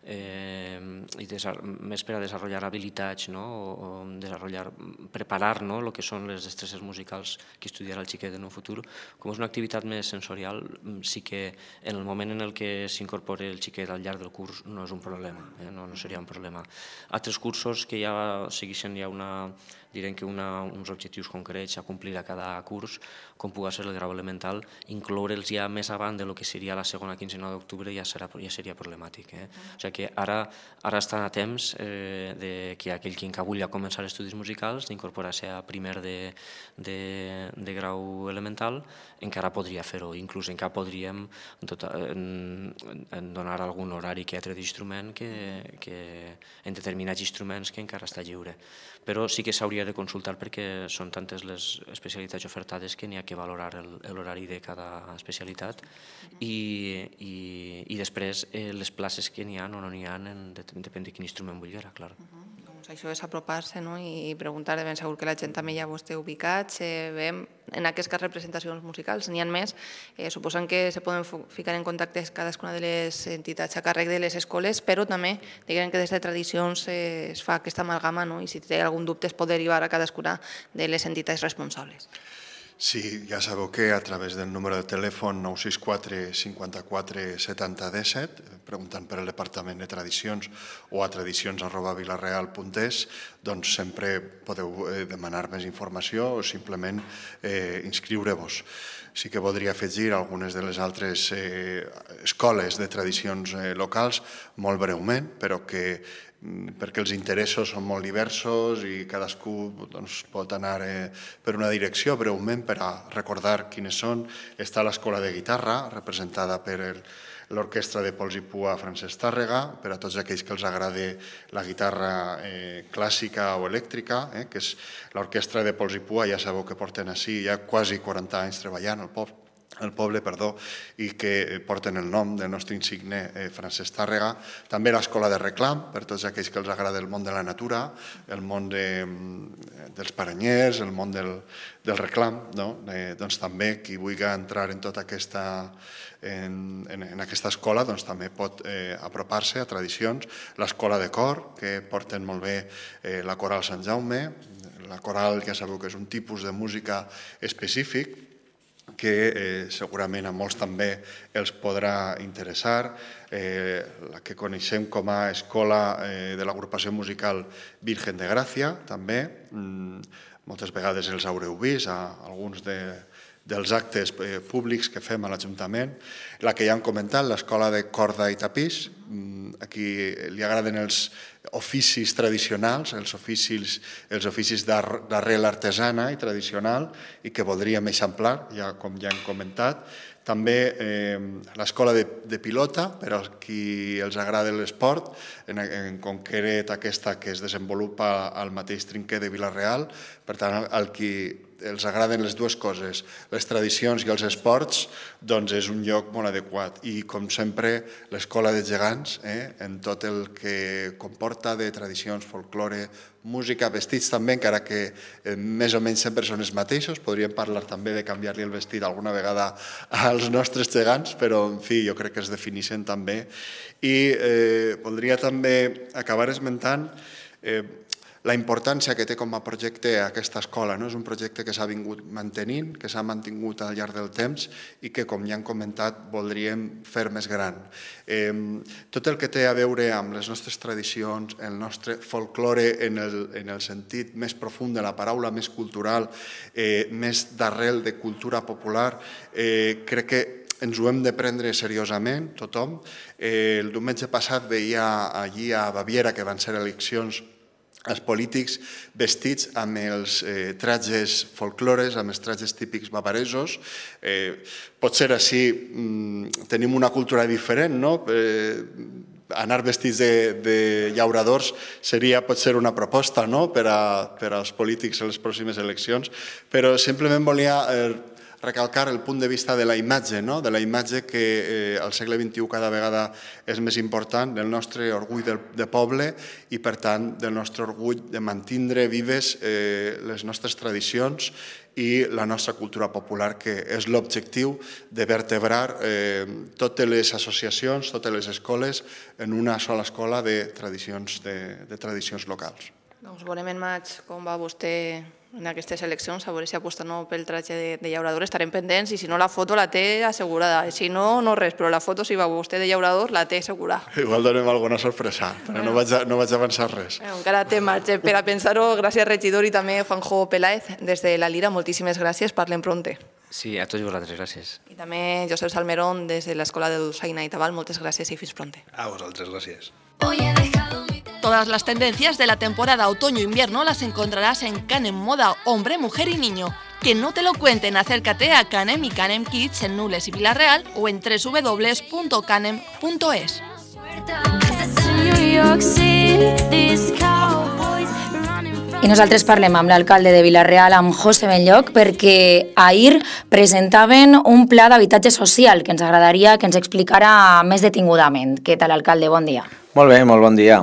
i més per a desenvolupar habilitats o preparar el que són les destreses musicals que estudiarà el xiquet en un futur, com és una activitat més sensorial, sí que en el moment en què s'incorpora el xiquet al llarg del curs no és un problema, no seria un problema. Altres cursos que ja segueixen ja una direm que uns objectius concrets a complir a cada curs, com pugui ser el grau elemental, incloure'ls ja més avant del que seria la segona quinzena d'octubre ja seria problemàtic. O sigui que ara estan a temps que aquell que vulgui començar estudis musicals, d'incorporar-se a primer de grau elemental, encara podria fer-ho, inclús encara podríem donar algun horari que altre d'instrument en determinats instruments que encara està lliure. Però sí que s'hauria de consultar perquè són tantes les especialitats ofertades que n'hi ha que valorar l'horari de cada especialitat i després les places que n'hi ha o no n'hi ha, depèn de quin instrument vulguera, clar. Això és apropar-se i preguntar, de ben segur que la gent també ja ho esteu ubicats, veiem en aquestes representacions musicals, n'hi ha més, suposant que se poden ficar en contacte cadascuna de les entitats a càrrec de les escoles, però també diguem que des de tradicions es fa aquesta amalgama i si té algun dubte es pot derivar a cadascuna de les entitats responsables. Sí, ja sabeu que a través del número de telèfon nou sis quatre cinquanta-quatre setanta disset, preguntant per el Departament de Tradicions o a tradicions arroba vilareal punt es, doncs sempre podeu demanar més informació o simplement inscriure-vos. Sí que voldria afegir algunes de les altres escoles de tradicions locals, molt breument, però que perquè els interessos són molt diversos i cadascú doncs, pot anar eh, per una direcció breument per a recordar quines són. Està l'Escola de Guitarra, representada per l'Orquestra de Pols i Pua Francesc Tàrrega, per a tots aquells que els agrada la guitarra eh, clàssica o elèctrica, eh, que és l'Orquestra de Pols i Pua, ja sabeu que porten així ja quasi quaranta anys treballant al poble, el poble, perdó, i que porten el nom del nostre insigne eh, Francesc Tàrrega. També l'Escola de Reclam, per tots aquells que els agrada el món de la natura, el món de, dels paranyers, el món del, del reclam, no? eh, doncs també qui vulgui entrar en tota aquesta, en, en, en aquesta escola doncs també pot eh, apropar-se a tradicions. L'Escola de Cor, que porten molt bé eh, la Coral Sant Jaume. La coral ja sabeu que és un tipus de música específic, que eh, segurament a molts també els podrà interessar, eh, la que coneixem com a escola eh, de l'agrupació musical Virgen de Gràcia, també. Mm, moltes vegades els haureu vist a alguns de, dels actes eh, públics que fem a l'Ajuntament. La que ja hem comentat, l'Escola de Corda i Tapís, mm, a qui li agraden els oficis tradicionals, els oficis, els oficis d'arrel artesana i tradicional i que voldríem eixamplar, ja, com ja hem comentat. També eh, l'Escola de, de Pilota, per als qui els agrada l'esport, en, en concret aquesta que es desenvolupa al mateix trinquer de Vila-real. Per tant, al, al qui els agraden les dues coses, les tradicions i els esports, doncs és un lloc molt adequat. I, com sempre, l'Escola de Gegants, eh, en tot el que comporta de tradicions, folklore, música, vestits també, encara que eh, més o menys sempre són els mateixos. Podríem parlar també de canviar-li el vestit alguna vegada als nostres gegants, però, en fi, jo crec que es defineixen també. I eh, voldria també acabar esmentant eh, la importància que té com a projecte aquesta escola. No? És un projecte que s'ha vingut mantenint, que s'ha mantingut al llarg del temps i que, com ja hem comentat, voldríem fer més gran. Eh, tot el que té a veure amb les nostres tradicions, el nostre folklore en el, en el sentit més profund de la paraula, més cultural, eh, més d'arrel de cultura popular, eh, crec que ens ho hem de prendre seriosament, tothom. Eh, el diumenge passat veia allí a Baviera, que van ser eleccions, els polítics vestits amb els eh, tratges folclores, amb els tratges típics bavaresos. Eh, potser així mm, tenim una cultura diferent, no? Eh, anar vestits de, de llauradors seria potser una proposta, no? per, a, per als polítics en les pròximes eleccions, però simplement volia eh, recalcar el punt de vista de la imatge, no? de la imatge que eh, al segle vint-i-u cada vegada és més important, del nostre orgull de, de poble i, per tant, del nostre orgull de mantindre vives eh, les nostres tradicions i la nostra cultura popular, que és l'objectiu de vertebrar eh, totes les associacions, totes les escoles, en una sola escola de tradicions, de, de tradicions locals. Doncs veurem en maig com va vostè en aquestes eleccions, a veure si aposta no pel tratge de, de llaurador. Estarem pendents i si no la foto la té assegurada. Si no, no res, però la foto si va vostè de llaurador la té assegurada. Igual donem alguna sorpresa, però no vaig, a, no vaig avançar res. Bueno, encara té marge per a pensar-ho. Gràcies, regidor, i també Juanjo Peláez, des de la Lira. Moltíssimes gràcies. Parlem pronte. Sí, a tots vosaltres, gràcies. I també Josep Salmerón, des de l'Escola de Dolçaina i Tabal. Moltes gràcies i fins pronte. A vosaltres, gràcies. Todas las tendencias de la temporada otoño-invierno las encontrarás en Canem Moda Hombre, Mujer y Niño. Que no te lo cuenten, acércate a Canem y Canem Kids en Nules y Vila-real o en w w w punto canem punto es. I nosaltres parlem amb l'alcalde de Vila-real, amb José Benlloc, perquè ahir presentaven un pla d'habitatge social que ens agradaria que ens explicara més detingudament. Què tal, alcalde? Bon dia. Molt bé, molt bon dia.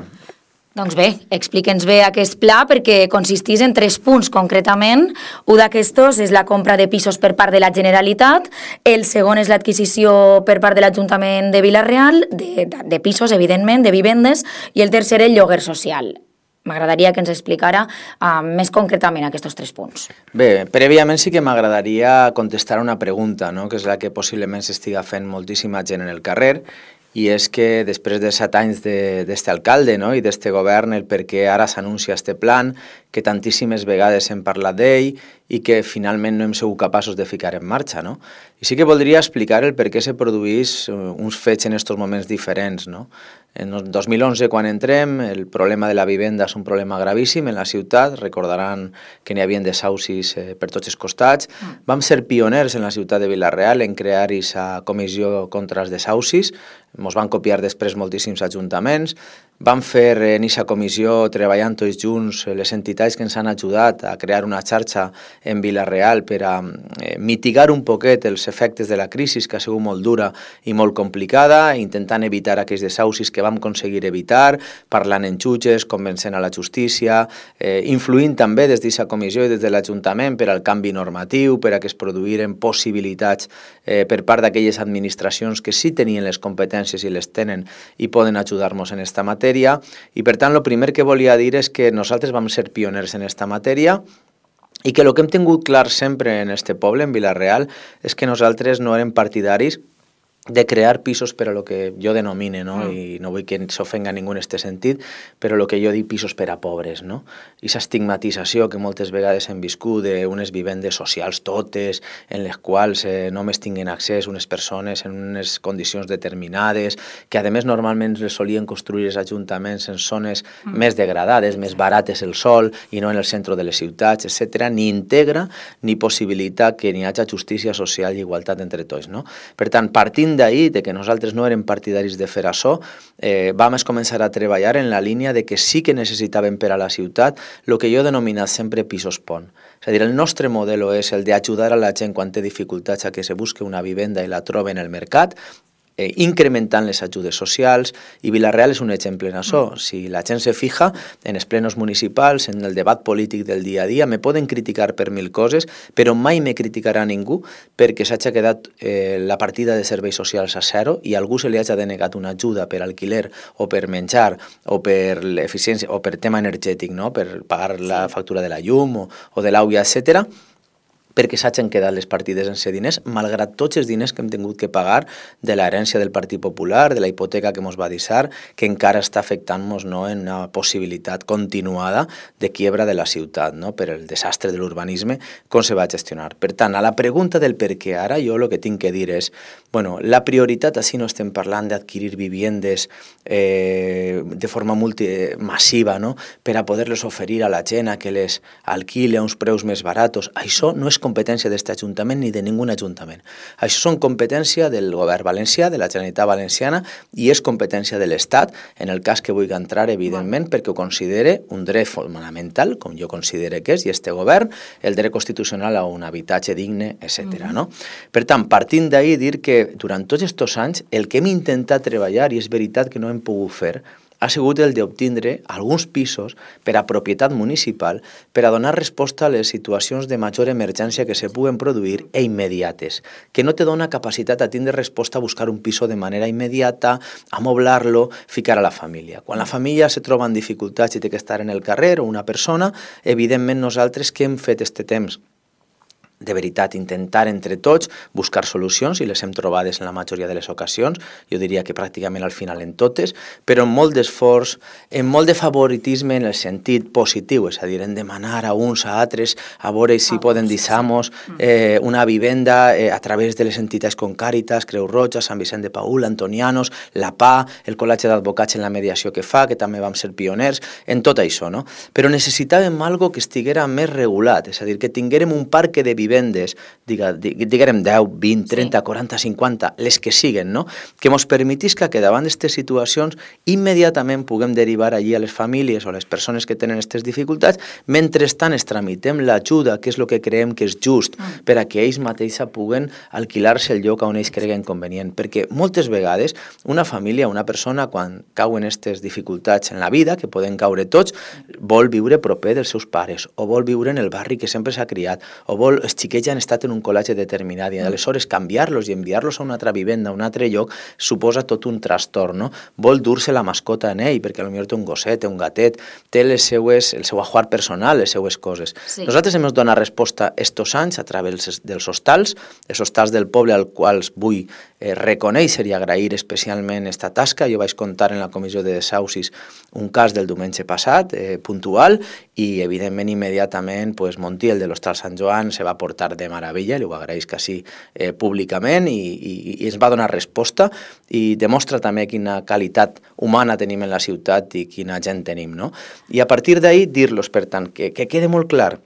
Doncs bé, explique'ns bé aquest pla, perquè consistís en tres punts concretament. Un d'aquestos és la compra de pisos per part de la Generalitat, el segon és l'adquisició per part de l'Ajuntament de Vila-real, de, de pisos, evidentment, de vivendes, i el tercer el lloguer social. M'agradaria que ens explicara uh, més concretament aquests tres punts. Bé, prèviament sí que m'agradaria contestar una pregunta, no? Que és la que possiblement s'estiga fent moltíssima gent en el carrer, i és que després de set anys d'este alcalde, no?, i d'este govern, el per què ara s'anuncia este plan, que tantíssimes vegades hem parlat d'ell i que finalment no hem sigut capaços de ficar en marxa, no? I sí que voldria explicar el per què se produís uns fets en aquests moments diferents, no? En el dos mil onze, quan entrem, el problema de la vivenda és un problema gravíssim en la ciutat. Recordaran que n'hi havia desaucis eh, per tots els costats. Vam ser pioners en la ciutat de Vila-real en crear aquesta comissió contra els desaucis. Ens van copiar després moltíssims ajuntaments. Vam fer en aquesta comissió, treballant tots junts, les entitats que ens han ajudat a crear una xarxa en Vila-real per a eh, mitigar un poquet els efectes de la crisi, que ha sigut molt dura i molt complicada, intentant evitar aquells desaucis que vam aconseguir evitar, parlant en jutges, convencent a la justícia, eh, influint també des d'aquesta comissió i des de l'Ajuntament per al canvi normatiu, per a que es produïren possibilitats eh, per part d'aquelles administracions que sí tenien les competències i les tenen i poden ajudar-nos en aquesta matèria. I per tant, el primer que volia dir és que nosaltres vam ser pioners en aquesta matèria i que el que hem tingut clar sempre en este poble, en Vila-real, és que nosaltres no érem partidaris de crear pisos per a lo que jo denomine, no? Mm. I no vull que s'ofenga ningú en aquest sentit, però el que jo dic pisos per a pobres, no? I aquesta estigmatització que moltes vegades hem viscut d'unes vivendes socials totes, en les quals eh, només tinguen accés unes persones en unes condicions determinades, que a més normalment les solien construir els ajuntaments en zones mm. més degradades, més barates el sol, i no en el centre de les ciutats, etcètera, ni integra ni possibilita que n'hi hagi justícia social i igualtat entre tots, no? Per tant, partint d'ahir, de que nosaltres no érem partidaris de fer això, eh, vam començar a treballar en la línia de que sí que necessitàvem per a la ciutat el que jo he denominat sempre pisos pont. És a dir, el nostre model és el d'ajudar a la gent quan té dificultats a que se busque una vivenda i la trobe en el mercat, Eh, incrementant les ajudes socials, i Vila-real és un exemple en això. Si la gent se fija en els plenos municipals, en el debat polític del dia a dia, me poden criticar per mil coses, però mai me criticarà ningú perquè s'hagi quedat eh, la partida de serveis socials a zero i a algú se li hagi denegat una ajuda per alquiler o per menjar o per l'eficiència o per tema energètic, no? Per pagar la factura de la llum o, o de l'aigua, etcètera, perquè s'hagin quedat les partides sense diners, malgrat tots els diners que hem tingut que pagar de l'herència del Partit Popular, de la hipoteca que ens va deixar, que encara està afectant-nos, no, en una possibilitat continuada de quiebra de la ciutat, no, per el desastre de l'urbanisme, com se va gestionar. Per tant, a la pregunta del per què ara, jo el que tinc que dir és, bueno, la prioritat, així no estem parlant d'adquirir viviendes eh, de forma multi, massiva, no, per a poder-les oferir a la gent a que les alquile a uns preus més baratos. Això no és competència d'aquest ajuntament ni de ningú ajuntament. Això són competència del govern valencià, de la Generalitat Valenciana, i és competència de l'Estat, en el cas que vulgui entrar, evidentment, perquè ho considere un dret fonamental, com jo considero que és, i este govern, el dret constitucional a un habitatge digne, etcètera. No? Per tant, partint d'ahir, dir que durant tots aquests anys el que hem intentat treballar, i és veritat que no hem pogut fer, ha sigut el d'obtindre alguns pisos per a propietat municipal per a donar resposta a les situacions de major emergència que se puguen produir e immediates, que no te dona capacitat a tindre resposta a buscar un piso de manera immediata, amoblar-lo, ficar a la família. Quan la família se troba en dificultats i té que estar en el carrer o una persona, evidentment nosaltres què hem fet este temps? De veritat, intentar entre tots buscar solucions, i les hem trobades en la majoria de les ocasions, jo diria que pràcticament al final en totes, però amb molt d'esforç, amb molt de favoritisme en el sentit positiu, és a dir, en demanar a uns a altres a veure si poden deixar-nos eh, una vivenda eh, a través de les entitats com Càritas, Creu Roja, Sant Vicent de Paül, Antonianos, la P A, el Col·legi d'Advocats en la mediació que fa, que també vam ser pioners, en tot això, no? Però necessitàvem algo que estiguera més regulat, és a dir, que tinguérem un parc de vivendes vivendes, diguem deu, vint, trenta, quaranta, cinquanta, les que siguen, no? Que ens permetisca que davant d'aquestes situacions immediatament puguem derivar allí a les famílies o a les persones que tenen aquestes dificultats, mentrestant es tramitem l'ajuda, que és el que creiem que és just, per a que ells mateixos puguen alquilar-se el lloc on ells creguen convenient. Perquè moltes vegades una família, una persona, quan cauen aquestes dificultats en la vida, que poden caure tots, vol viure proper dels seus pares, o vol viure en el barri que sempre s'ha criat, o vol els xiquets ja han estat en un col·legi determinat i aleshores canviar-los i enviar-los a una altra vivenda, a un altre lloc, suposa tot un trastorn, no? Vol dur-se la mascota en ell, perquè potser té un gosset, té un gatet, té les seues, el seu ajuar personal, les seues coses. Sí. Nosaltres hem donat resposta estos anys a través dels hostals, els hostals del poble al quals vull eh, reconèixer i agrair especialment esta tasca. Jo vaig contar en la comissió de desaucis un cas del diumenge passat, eh, puntual, i evidentment immediatament pues, Montiel de l'Hostal Sant Joan se va portar de meravella, li ho agraeix quasi eh, públicament i, i, i ens va donar resposta i demostra també quina qualitat humana tenim en la ciutat i quina gent tenim, no? I a partir d'ahir dir-los, per tant, que, que quede molt clar,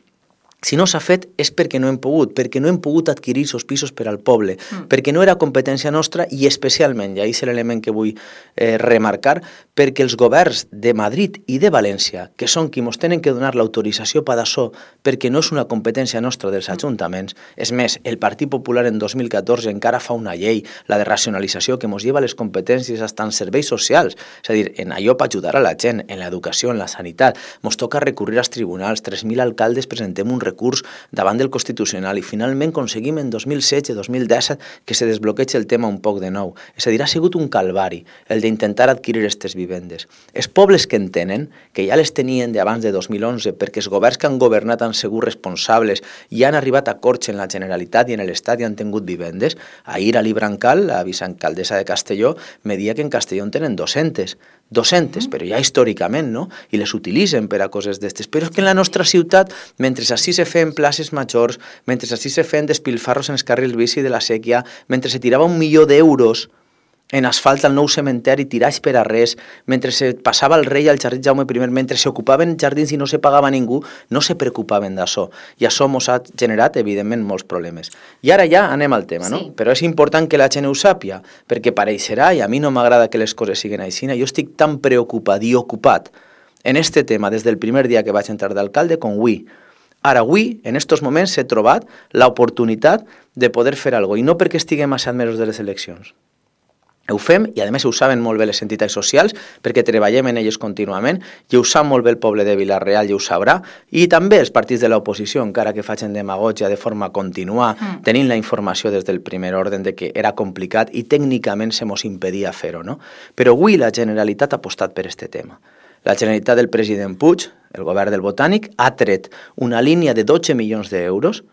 si no s'ha fet és perquè no hem pogut, perquè no hem pogut adquirir els pisos per al poble, mm. perquè no era competència nostra i especialment, i això és l'element que vull eh, remarcar, perquè els governs de Madrid i de València, que són qui ens tenen que donar l'autorització per això, perquè no és una competència nostra dels ajuntaments, és més, el Partit Popular en dos mil catorze encara fa una llei, la de racionalització, que ens lleva les competències fins als serveis socials, és a dir, en allò per ajudar a la gent, en l'educació, en la sanitat, ens toca recurrir als tribunals, tres mil alcaldes presentem un recurs davant del Constitucional i finalment aconseguim en dos mil setze dos mil disset que se desbloqueig el tema un poc de nou. És a dir, ha sigut un calvari el d'intentar adquirir aquestes vivendes. Els pobles que en tenen, que ja les tenien d'abans de dos mil onze perquè els governs que han governat han sigut responsables i han arribat a acords en la Generalitat i en l'Estat i han tingut vivendes, ahir a l'Ibrancal, la vicealcaldessa de Castelló, me dia que en Castelló en tenen dos-centes. dos-centes, però ja històricament, no? I les utilitzen per a coses d'estes. Però és que en la nostra ciutat, mentre així se feien places majors, mentre així se feien despilfarros en els carrils bici de la sèquia, mentre se tirava un milió d'euros en asfalt al nou cementeri, tirats per a res, mentre se passava el rei al jardí Jaume primer, mentre s'ocupaven jardins i no se pagava ningú, no se preocupaven d'això. I això ens ha generat, evidentment, molts problemes. I ara ja anem al tema, no? Sí. Però és important que la gent ho sàpia, perquè pareixerà, i a mi no m'agrada que les coses siguin així, jo estic tan preocupat i ocupat en este tema des del primer dia que vaig entrar d'alcalde com avui. Ara, avui, en aquests moments, he trobat l'oportunitat de poder fer alguna cosa, i no perquè estiguem a set mesos de les eleccions. Ho fem, i a més ho saben molt bé les entitats socials, perquè treballem en elles contínuament, i ho sap molt bé el poble de Vila-real, i ho sabrà, i també els partits de l'oposició, encara que facin demagògia de forma contínua, mm. tenint la informació des del primer ordre de que era complicat i tècnicament se mos impedia fer-ho, no? Però avui la Generalitat ha apostat per aquest tema. La Generalitat del president Puig, el govern del Botànic, ha tret una línia de dotze milions d'euros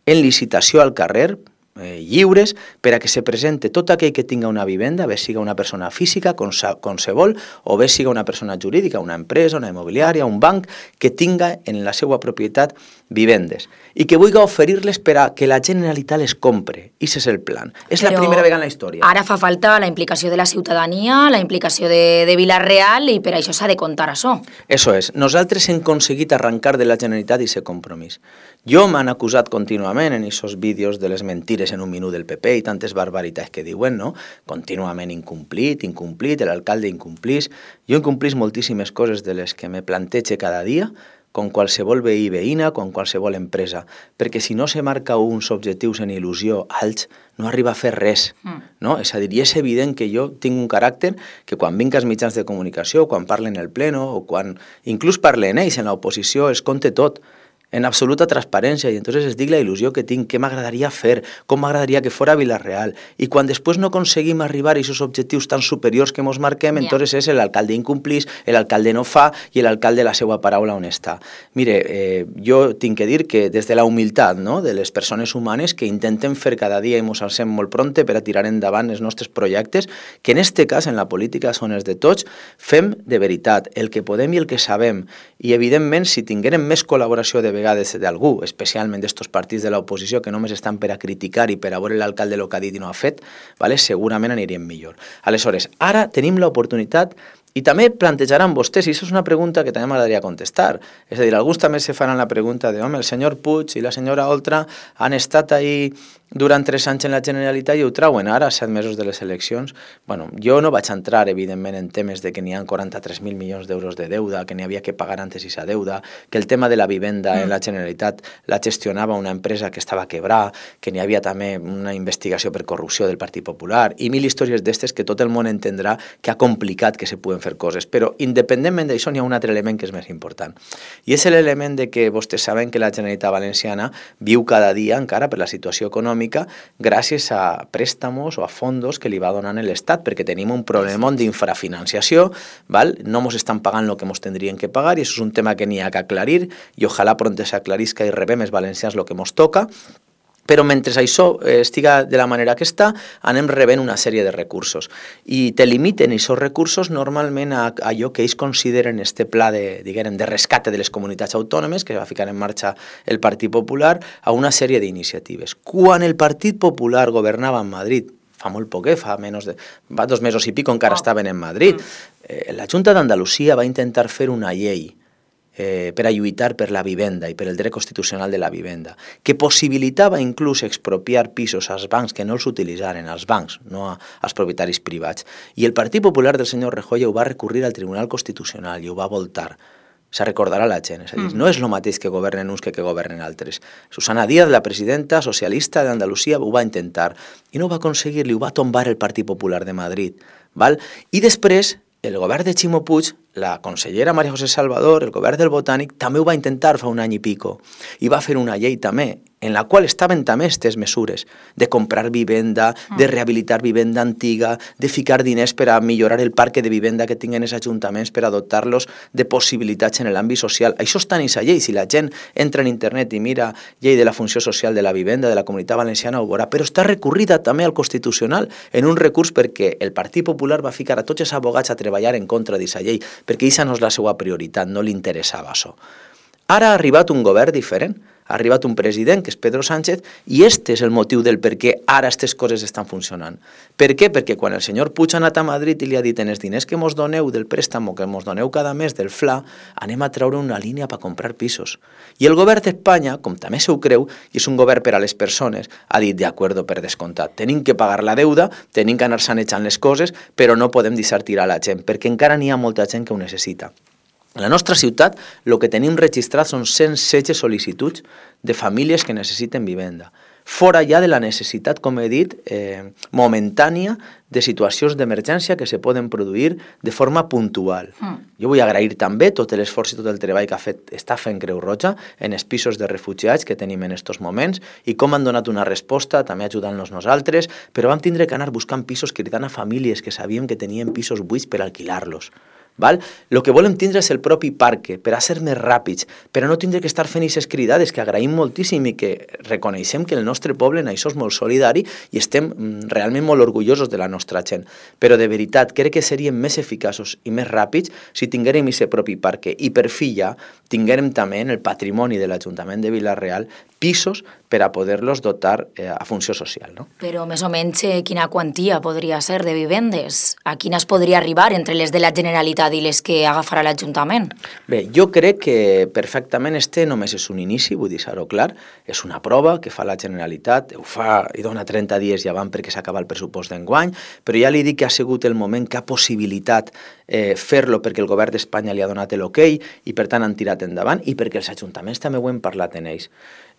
en licitació al carrer, Eh, lliures per a que se presente tot aquell que tinga una vivenda, bé siga una persona física, com, com se vol, o bé siga una persona jurídica, una empresa, una immobiliària, un banc, que tinga en la seva propietat vivendes i que vulgui oferir-les per a que la Generalitat les compre. I aquest és el plan. És Però la primera vegada en la història. Ara fa falta la implicació de la ciutadania, la implicació de, de Vila-real, i per això s'ha de contar això. Això és. Nosaltres hem aconseguit arrencar de la Generalitat aquest compromís. Jo m'han acusat contínuament en aquests vídeos de les mentires en un minut del P P i tantes barbaritats que diuen, no? Contínuament incomplit, incomplit, l'alcalde incomplís. Jo incomplís moltíssimes coses de les que me plantege cada dia, com qualsevol veí veïna, com qualsevol empresa, perquè si no se marca uns objectius en il·lusió alts, no arriba a fer res, no? És a dir, i és evident que jo tinc un caràcter que quan vinc als mitjans de comunicació, quan parlen el pleno, o quan inclús parlen ells en l'oposició, es compte tot, en absoluta transparència, i entonces es dic la il·lusió que tinc, què m'agradaria fer, com m'agradaria que fora Vila-real, i quan després no aconseguim arribar a aquests objectius tan superiors que ens marquem, yeah. entonces és l'alcalde incomplís, l'alcalde no fa, i l'alcalde la seva paraula on està. Mire, eh, jo tinc que dir que des de la humilitat, no?, de les persones humanes que intenten fer cada dia i ens alcem molt pronte per a tirar endavant els nostres projectes, que en este cas, en la política, són els de tots, fem de veritat el que podem i el que sabem, i evidentment, si tinguérem més col·laboració de vegades d'algú, especialment d'estos partits de l'oposició que només estan per a criticar i per a veure l'alcalde el que ha dit i no ha fet, vale? Segurament aniríem millor. Aleshores, ara tenim l'oportunitat i també plantejaran vostès, i això és una pregunta que també m'agradaria contestar, és a dir, alguns també se faran la pregunta de, home, el senyor Puig i la senyora Oltra han estat ahí durant tres anys en la Generalitat i ho trauen ara, a set mesos de les eleccions. Bueno, jo no vaig entrar, evidentment, en temes de que n'hi ha quaranta-tres mil milions d'euros de deuda, que n'hi havia que pagar antes aquesta deuda, que el tema de la vivenda mm. en la Generalitat la gestionava una empresa que estava quebrada, que n'hi havia també una investigació per corrupció del Partit Popular, i mil històries d'estes que tot el món entendrà que ha complicat que se puguen podem fer coses, però independentment d'això n'hi ha un altre element que és més important. I és l'element de que vostès saben que la Generalitat Valenciana viu cada dia encara per la situació econòmica gràcies a préstamos o a fondos que li va donant l'Estat, perquè tenim un problema d'infrafinanciació, val? No ens estan pagant el que ens tindrien que pagar i això és un tema que n'hi ha que aclarir i ojalà pronto s'aclarisca i rebem els valencians el que ens toca. Però mentre això estiga de la manera que està, anem rebent una sèrie de recursos. I te limiten aquests recursos normalment a allò que ells consideren este pla de, diguem, de rescate de les comunitats autònomes que va ficar en marxa el Partit Popular a una sèrie d'iniciatives. Quan el Partit Popular governava en Madrid, fa molt poc, eh? fa, menys de, fa dos mesos i pico encara estaven en Madrid, eh, la Junta d'Andalusia va intentar fer una llei Eh, per a lluitar per la vivenda i per el dret constitucional de la vivenda, que possibilitava inclús expropiar pisos als bancs que no els utilitzaren, als bancs, no a, als propietaris privats. I el Partit Popular del senyor Rajoy ho va recurrir al Tribunal Constitucional i ho va voltar. Se recordarà la gent, és a dir, mm. no és el mateix que governen uns que que governen altres. Susana Díaz, la presidenta socialista d'Andalusia, ho va intentar i no ho va aconseguir, li ho va tombar el Partit Popular de Madrid. Val? I després, el govern de Ximo Puig, la consellera María José Salvador, el govern del Botànic, també ho va intentar fa un any i pico. I va fer una llei també, en la qual estaven també aquestes mesures de comprar vivenda, de rehabilitar vivenda antiga, de ficar diners per a millorar el parc de vivenda que tinguen els ajuntaments per a dotar-los de possibilitats en l'àmbit social. Això està en aquesta llei. Si la gent entra en internet i mira llei de la funció social de la vivenda de la Comunitat Valenciana ho veurà, però està recorrida també al Constitucional en un recurs perquè el Partit Popular va ficar a tots els abogats a treballar en contra d'aquesta llei, perquè aquesta no és la seva prioritat, no li interessava això. Ara ha arribat un govern diferent, ha arribat un president, que és Pedro Sánchez, i este és el motiu del per què ara aquestes coses estan funcionant. Per què? Perquè quan el senyor Puig ha anat a Madrid i li ha dit en els diners que mos doneu del préstamo, que mos doneu cada mes del F L A, anem a treure una línia per comprar pisos. I el govern d'Espanya, com també se ho creu, i és un govern per a les persones, ha dit, de acuerdo, per descomptat, tenim que pagar la deuda, tenim que anar sanejant les coses, però no podem deixar tirar la gent, perquè encara n'hi ha molta gent que ho necessita. A la nostra ciutat, el que tenim registrat són cent setze sol·licituds de famílies que necessiten vivenda. Fora ja de la necessitat, com he dit, eh, momentània de situacions d'emergència que se poden produir de forma puntual. Mm. Jo vull agrair també tot l'esforç i tot el treball que ha fet, està fent Creu Roja en els pisos de refugiats que tenim en aquests moments i com han donat una resposta, també ajudant-nos nosaltres, però vam tindre que anar buscant pisos cridant a famílies que sabíem que tenien pisos buits per alquilar-los. Val? El que volem tindre és el propi parc per a ser més ràpids, per a no tindre que estar fent aquestes cridades que agraïm moltíssim i que reconeixem que el nostre poble en això és molt solidari i estem realment molt orgullosos de la nostra gent. Però de veritat, crec que seríem més eficaços i més ràpids si tinguérem aquest propi parc i per fi ja tinguérem també en el patrimoni de l'Ajuntament de Vila-real pisos per a poder-los dotar eh, a funció social. No? Però més o menys eh, quina quantia podria ser de vivendes? A quines podria arribar entre les de la Generalitat i les que agafarà l'Ajuntament? Bé, jo crec que perfectament este només és un inici, vull dir-ho clar, és una prova que fa la Generalitat, ho fa i dona trenta dies ja van perquè s'acaba el pressupost d'enguany, però ja li dic que ha sigut el moment que ha possibilitat eh, fer-lo perquè el govern d'Espanya li ha donat l'ok i per tant han tirat endavant i perquè els ajuntaments també ho hem parlat en ells.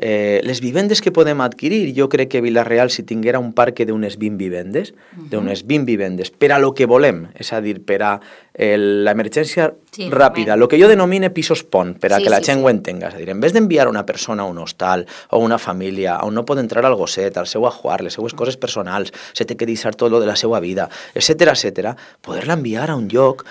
Eh, les vivendes que podem adquirir, jo crec que Vila-real si tinguera un parc d'unes vint vivendes, uh-huh. d'unes vint vivendes, per a lo que volem, és a dir, per a l'emergència sí, ràpida, el que jo denomine pisos pont, per a sí, que la sí, gent sí. ho entenga, és a dir, en vez d'enviar una persona a un hostal o una família on no pot entrar al gosset, al seu ajuar, les seues coses personals, se té que deixar tot lo de la seva vida, etcètera, etcètera, poder-la enviar a un lloc,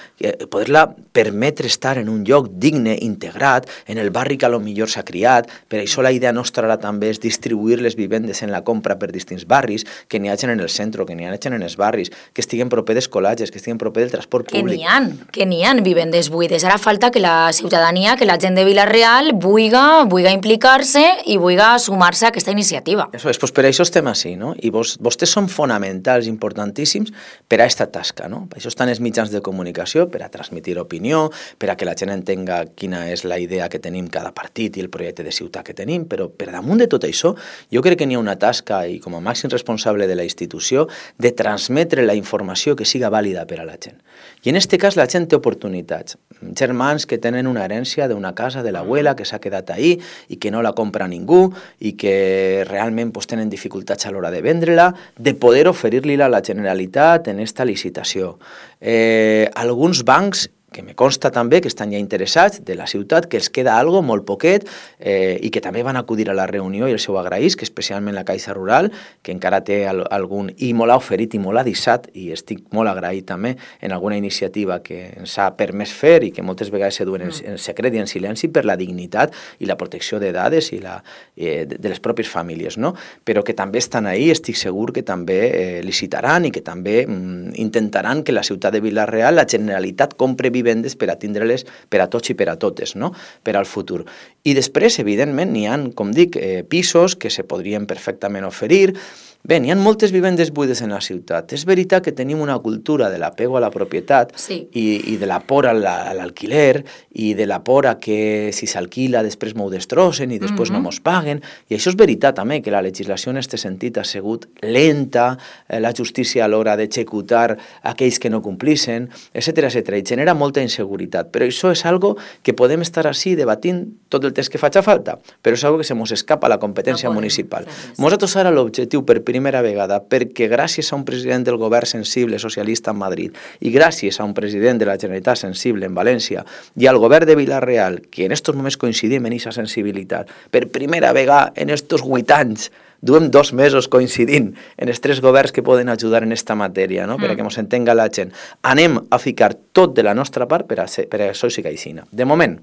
poder-la permetre estar en un lloc digne, integrat, en el barri que a lo millor s'ha criat, per això la idea nostra ara també és distribuir les vivendes en la compra per distints barris, que n'hi hagin en el centre, que n'hi hagin en els barris, que estiguen proper d'escolatges, que estiguen proper del transport públic. Que n'hi ha, que n'hi ha vivendes buides. Ara falta que la ciutadania, que la gent de Vila-real vulga, vulga implicar-se i vulga sumar-se a aquesta iniciativa. Eso és, pues per això estem així, no? I vos, vostès són fonamentals, importantíssims per a aquesta tasca, no? Per això estan els mitjans de comunicació, per a transmitir opinió, per a que la gent entenga quina és la idea que tenim cada partit i el projecte de ciutat que tenim, però per damunt de tot això, jo crec que n'hi ha una tasca, i com a màxim responsable de la institució, de transmetre la informació que siga vàlida per a la gent. I en aquest cas la gent té oportunitats. Germans que tenen una herència d'una casa de l'abuela que s'ha quedat ahí i que no la compra ningú i que realment pues, tenen dificultats a l'hora de vendre-la, de poder oferir-li-la a la Generalitat en esta licitació. Eh, alguns bancs que me consta també que estan ja interessats de la ciutat, que els queda algo molt poquet eh, i que també van acudir a la reunió i el seu agraís, que especialment la Caixa Rural, que encara té al, algun, i molt ha oferit i molt ha deixat, i estic molt agraït també en alguna iniciativa que ens ha permès fer i que moltes vegades se duen en, en secret i en silenci per la dignitat i la protecció de dades i la, eh, de, de les pròpies famílies, no? Però que també estan ahí, estic segur que també eh, licitaran i que també mm, intentaran que la ciutat de Vila-real, la Generalitat compre vivendes per a tindre-les per a tots i per a totes, no? Per al futur. I després, evidentment, n'hi ha, com dic, eh, pisos que se podrien perfectament oferir. Bé, n'hi ha moltes vivendes buides en la ciutat. És veritat que tenim una cultura de l'apego a la propietat sí. i, i de la por a l'alquiler i de la por a que si s'alquila després m'ho destrossen i després mm-hmm. no mos paguen. I això és veritat també, que la legislació en aquest sentit ha sigut lenta, eh, la justícia a l'hora d'executar aquells que no complissin, etcètera, etcètera, i genera molta inseguretat. Però això és algo que podem estar així debatint tot el temps que faci falta, però és algo que se mos escapa a la competència no municipal. Nosaltres ara l'objectiu per primera vegada, perquè gràcies a un president del govern sensible socialista en Madrid i gràcies a un president de la Generalitat sensible en València i al govern de Vila-real, que en aquests moments coincidim en aquesta sensibilitat, per primera vegada en aquests vuit anys duem dos mesos coincidint en els tres governs que poden ajudar en aquesta matèria, no? Mm. perquè ens entenga la gent. Anem a ficar tot de la nostra part per a, ser, per a això sí que aixina. De moment,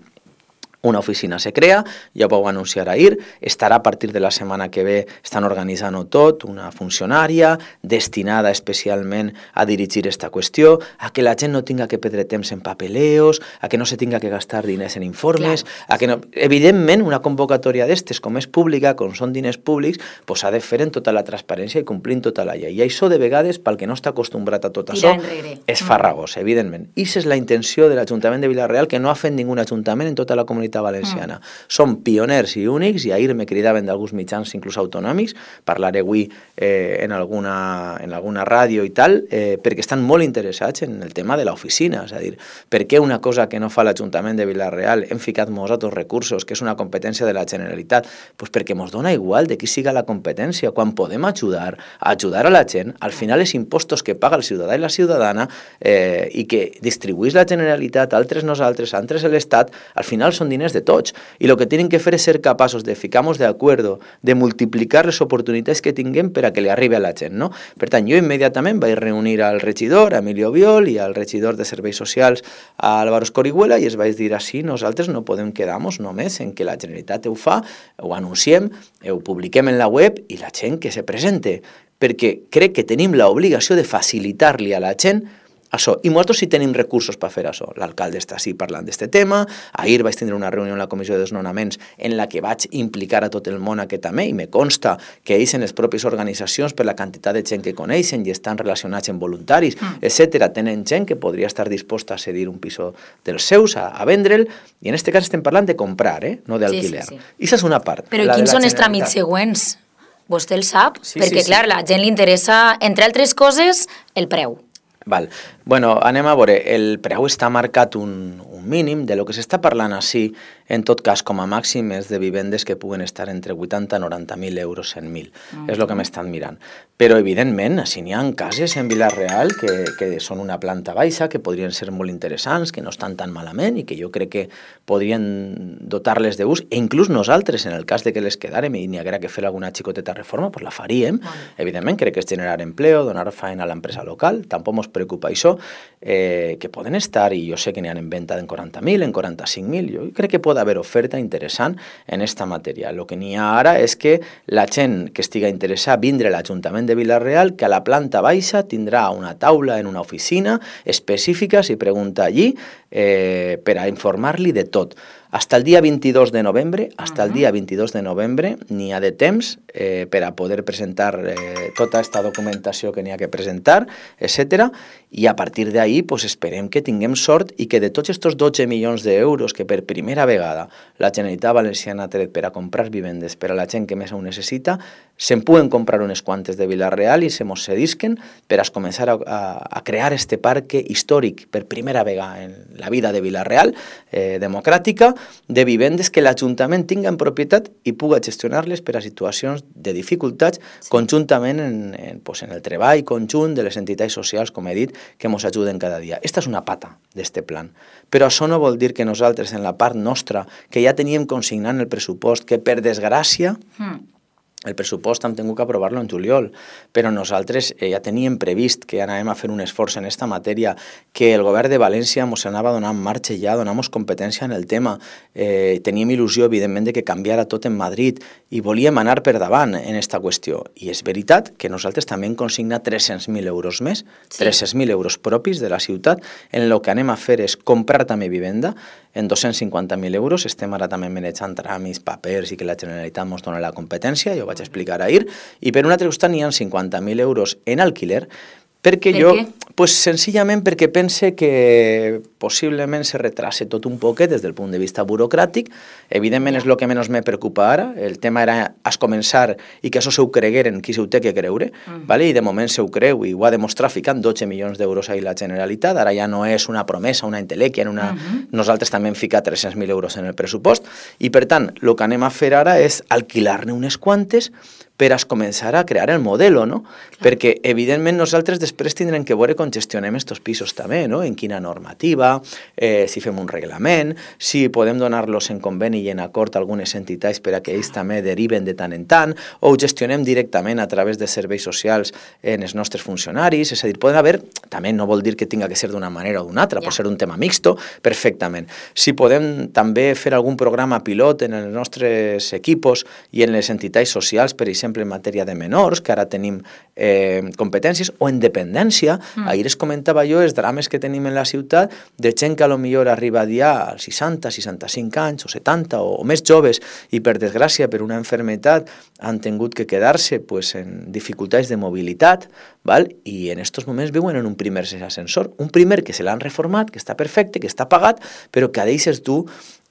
una oficina se crea, ja ho vau anunciar ahir, estarà a partir de la setmana que ve, estan organitzant-ho tot, una funcionària destinada especialment a dirigir aquesta qüestió, a que la gent no tinga que perdre temps en papeleos, a que no se tinga que gastar diners en informes, claro. a que no... Evidentment, una convocatòria d'estes, com és pública, com són diners públics, pues s'ha de fer en tota la transparència i complint tota la llei. I això, de vegades, pel que no està acostumbrat a tot això, és farragós, evidentment. I aquesta és la intenció de l'Ajuntament de Vila-real, que no ha fet ningú ajuntament en tota la comunitat valenciana. Mm. Som pioners i únics, i ahir me cridaven d'alguns mitjans inclús autonòmics, parlaré avui eh, en, alguna, en alguna ràdio i tal, eh, perquè estan molt interessats en el tema de l'oficina, és a dir, per què una cosa que no fa l'Ajuntament de Vila-real hem ficat nosaltres recursos, que és una competència de la Generalitat? Pues perquè ens dona igual de qui siga la competència, quan podem ajudar, a ajudar a la gent, al final els impostos que paga el ciutadà i la ciutadana eh, i que distribuís la Generalitat, altres nosaltres, altres l'Estat, al final són diners de tots, i el que tenen que fer és ser capaços de ficar-nos d'acord, de multiplicar les oportunitats que tinguem per a que li arribi a la gent, no? Per tant, jo immediatament vaig reunir al regidor, Emilio Viol, i al regidor de Serveis Socials, Álvaro Escorihuela, i es vaig dir així, nosaltres no podem quedar-nos només en que la Generalitat ho fa, ho anunciem, ho publiquem en la web, i la gent que se presente, perquè crec que tenim l'obligació de facilitar-li a la gent això. I nosaltres sí tenim recursos per fer això. L'alcalde està així parlant d'aquest tema. Ahir vaig tindre una reunió en la Comissió de Desnonaments en la que vaig implicar a tot el món aquest també, i me consta que ells en les pròpies organitzacions, per la quantitat de gent que coneixen i estan relacionats amb voluntaris, mm. etcètera, tenen gent que podria estar disposta a cedir un piso dels seus, a, a vendre'l, i en aquest cas estem parlant de comprar, eh? no d'alquiler. Sí, sí, sí. I això és una part. Però quins són els tràmits següents? Vostè el sap? Sí, Perquè, sí, clar, sí. la gent li interessa, entre altres coses, el preu. Val. Bueno, anem a veure, el preu està marcat un, un mínim, de lo que s'està parlant així, en tot cas, com a màxim, és de vivendes que puguen estar entre vuitanta i noranta mil euros, cent mil. Mm. És el que m'estan mirant. Però, evidentment, així n'hi ha cases en Vila-real que, que són una planta baixa, que podrien ser molt interessants, que no estan tan malament i que jo crec que podrien dotar-les d'ús, e inclús nosaltres, en el cas de que les quedàrem i n'hi haguera que fer alguna xicoteta reforma, pues la faríem. Mm. Evidentment, crec que és generar empleo, donar feina a l'empresa local, tampoc ens preocupa això, eh, que poden estar, i jo sé que n'hi ha en venda en quaranta mil, en quaranta-cinc mil, jo crec que pot haver oferta interessant en esta matèria. El que n'hi ha ara és que la gent que estiga interessada a vindre a l'Ajuntament de Vila-real, que a la planta baixa tindrà una taula en una oficina específica, si pregunta allí, eh, per a informar-li de tot. Hasta el dia vint-i-dos de novembre, hasta el dia vint-i-dos de novembre n'hi ha de temps eh, per a poder presentar eh, tota aquesta documentació que n'hi ha que presentar, etcètera. I a partir d'ahí pues, esperem que tinguem sort i que de tots aquests dotze milions d'euros que per primera vegada la Generalitat Valenciana ha tret per a comprar vivendes per a la gent que més ho necessita, se'n puguen comprar unes quantes de Vila-real i se mos cedisquen per a començar a, a, a crear este parque històric per primera vegada en la vida de Vila-real, eh, democràtica, de vivendes que l'Ajuntament tinga en propietat i puga gestionar-les per a situacions de dificultats sí. conjuntament en, en, pues, en el treball conjunt de les entitats socials, com he dit, que ens ajuden cada dia. Esta és una pata d'este plan. Però això no vol dir que nosaltres, en la part nostra, que ja teníem consignant el pressupost, que per desgràcia... Mm. El pressupost hem tingut que aprovar-lo en juliol, però nosaltres eh, ja teníem previst que anàvem a fer un esforç en aquesta matèria, que el govern de València ens anava donant marxa ja, donant competència en el tema. Eh, teníem il·lusió, evidentment, de que canviara tot en Madrid i volíem anar per davant en aquesta qüestió. I és veritat que nosaltres també hem consignat tres-cents mil euros més, sí. tres-cents mil euros propis de la ciutat, en el que anem a fer és comprar també vivenda en dos-cents cinquanta mil euros. Estem ara també manejant tràmits, papers i que la Generalitat ens dona la competència, jo vaig explicar ahir, i per un altre costat n'hi ha cinquanta mil euros en alquiler, perquè per jo, què? pues, senzillament perquè pense que possiblement se retrase tot un poquet des del punt de vista burocràtic. Evidentment és el que menys me preocupa ara, el tema era es començar i que això se ho cregueren qui se ho té que creure, uh-huh. vale? I de moment se ho creu i ho ha demostrat ficant dotze milions d'euros ahir la Generalitat, ara ja no és una promesa, una entelèquia, una... uh-huh. nosaltres també hem ficat tres-cents mil euros en el pressupost i per tant el que anem a fer ara és alquilar-ne unes quantes per a començar a crear el modelo, no? Clar. Perquè, evidentment, nosaltres després tindrem que veure com gestionem estos pisos també, no? En quina normativa, eh, si fem un reglament, si podem donar-los en conveni i en acord a algunes entitats per a que ells també deriven de tant en tant, o ho gestionem directament a través de serveis socials en els nostres funcionaris, és a dir, poden haver, també no vol dir que tinga que ser d'una manera o d'una altra, ja. Pot ser un tema mixto, perfectament. Si podem també fer algun programa pilot en els nostres equipos i en les entitats socials, per exemple, en matèria de menors, que ara tenim eh, competències, o en dependència. Mm. Ahir es comentava jo els drames que tenim en la ciutat de gent que a lo millor arriba ja als seixanta, seixanta-cinc anys, o setanta, o, o més joves, i per desgràcia, per una enfermetat, han tingut que quedar-se pues, en dificultats de mobilitat, val? I en aquests moments viuen en un primer ascensor, un primer que se l'han reformat, que està perfecte, que està pagat, però que deixes tu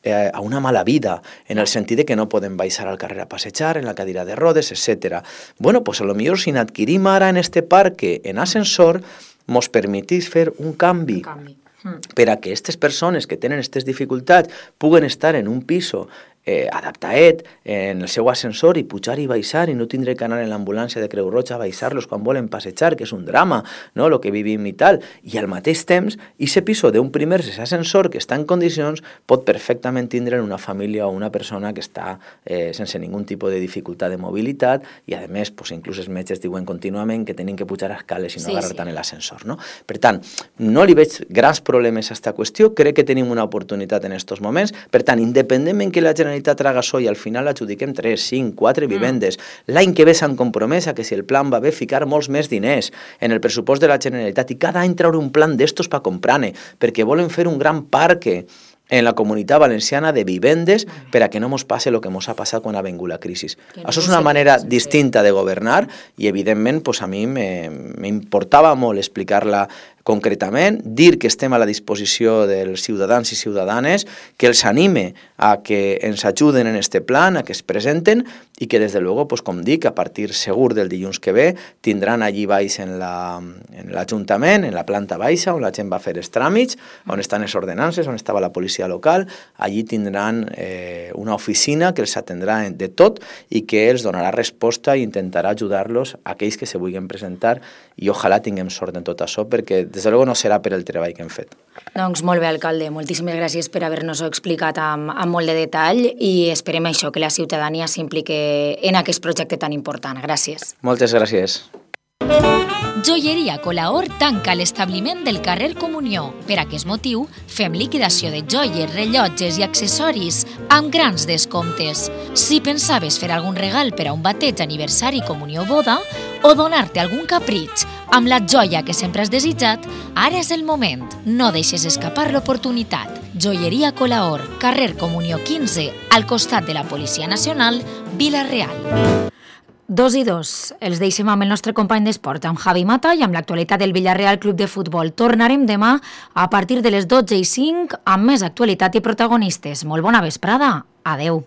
eh, a una mala vida, en el sentit de que no podem baixar al carrer a passejar, en la cadira de rodes, etcètera. Bueno, pues a lo millor si n'adquirim ara en este parque en ascensor, mos permetís fer un canvi, un canvi. Mm. per a que aquestes persones que tenen aquestes dificultats puguen estar en un piso eh, adaptaet en el seu ascensor i pujar i baixar i no tindre que anar en l'ambulància de Creu Roja a baixar-los quan volen passejar, que és un drama, no?, el que vivim i tal. I al mateix temps, aquest piso d'un primer ascensor que està en condicions pot perfectament tindre una família o una persona que està eh, sense ningun tipus de dificultat de mobilitat i, a més, pues, inclús els metges diuen contínuament que tenen que pujar a escales i no sí, agarrar sí. tant l'ascensor, no? Per tant, no li veig grans problemes a aquesta qüestió, crec que tenim una oportunitat en aquests moments, per tant, independentment que la Generalitat traga això i al final adjudiquem tres, cinc, quatre vivendes. Mm. L'any que ve s'han compromès a que si el plan va bé ficar molts més diners en el pressupost de la Generalitat i cada any treure un plan d'estos per comprar-ne, perquè volen fer un gran parc en la Comunitat Valenciana de vivendes per a que no mos passe el que mos ha passat quan ha vingut la crisi. No això és una manera distinta de governar i, evidentment, pues, a mi m'importava molt explicar-la concretament, dir que estem a la disposició dels ciutadans i ciutadanes, que els anime a que ens ajuden en este plan, a que es presenten i que, des de luego, pues, com dic, a partir segur del dilluns que ve, tindran allí baix en l'Ajuntament, en la planta baixa, on la gent va fer els tràmits, on estan les ordenances, on estava la policia local, allí tindran eh, una oficina que els atendrà de tot i que els donarà resposta i intentarà ajudar-los a aquells que se vulguin presentar i ojalà tinguem sort en tot això, perquè des de luego no serà per el treball que hem fet. Doncs molt bé, alcalde. Moltíssimes gràcies per haver-nos-ho explicat amb, amb molt de detall i esperem això, que la ciutadania s'implique en aquest projecte tan important. Gràcies. Moltes gràcies. Joieria Colaor tanca l'establiment del carrer Comunió. Per aquest motiu, fem liquidació de joies, rellotges i accessoris amb grans descomptes. Si pensaves fer algun regal per a un bateig, aniversari, comunió o boda, o donar-te algun capritx amb la joia que sempre has desitjat, ara és el moment. No deixes escapar l'oportunitat. Joieria Colaor, carrer Comunió quinze, al costat de la Policia Nacional, Vila-real. Dos i dos. Els deixem amb el nostre company d'esport, amb Javi Mata, i amb l'actualitat del Villarreal Club de Futbol. Tornarem demà a partir de les dotze i cinc amb més actualitat i protagonistes. Molt bona vesprada. Adeu.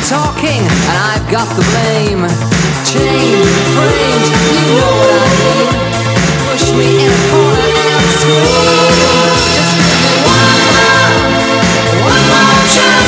Talking, and I've got the blame. Chained, framed, you know what I mean. Push me in a corner and scream. Just give me one more, one more chance.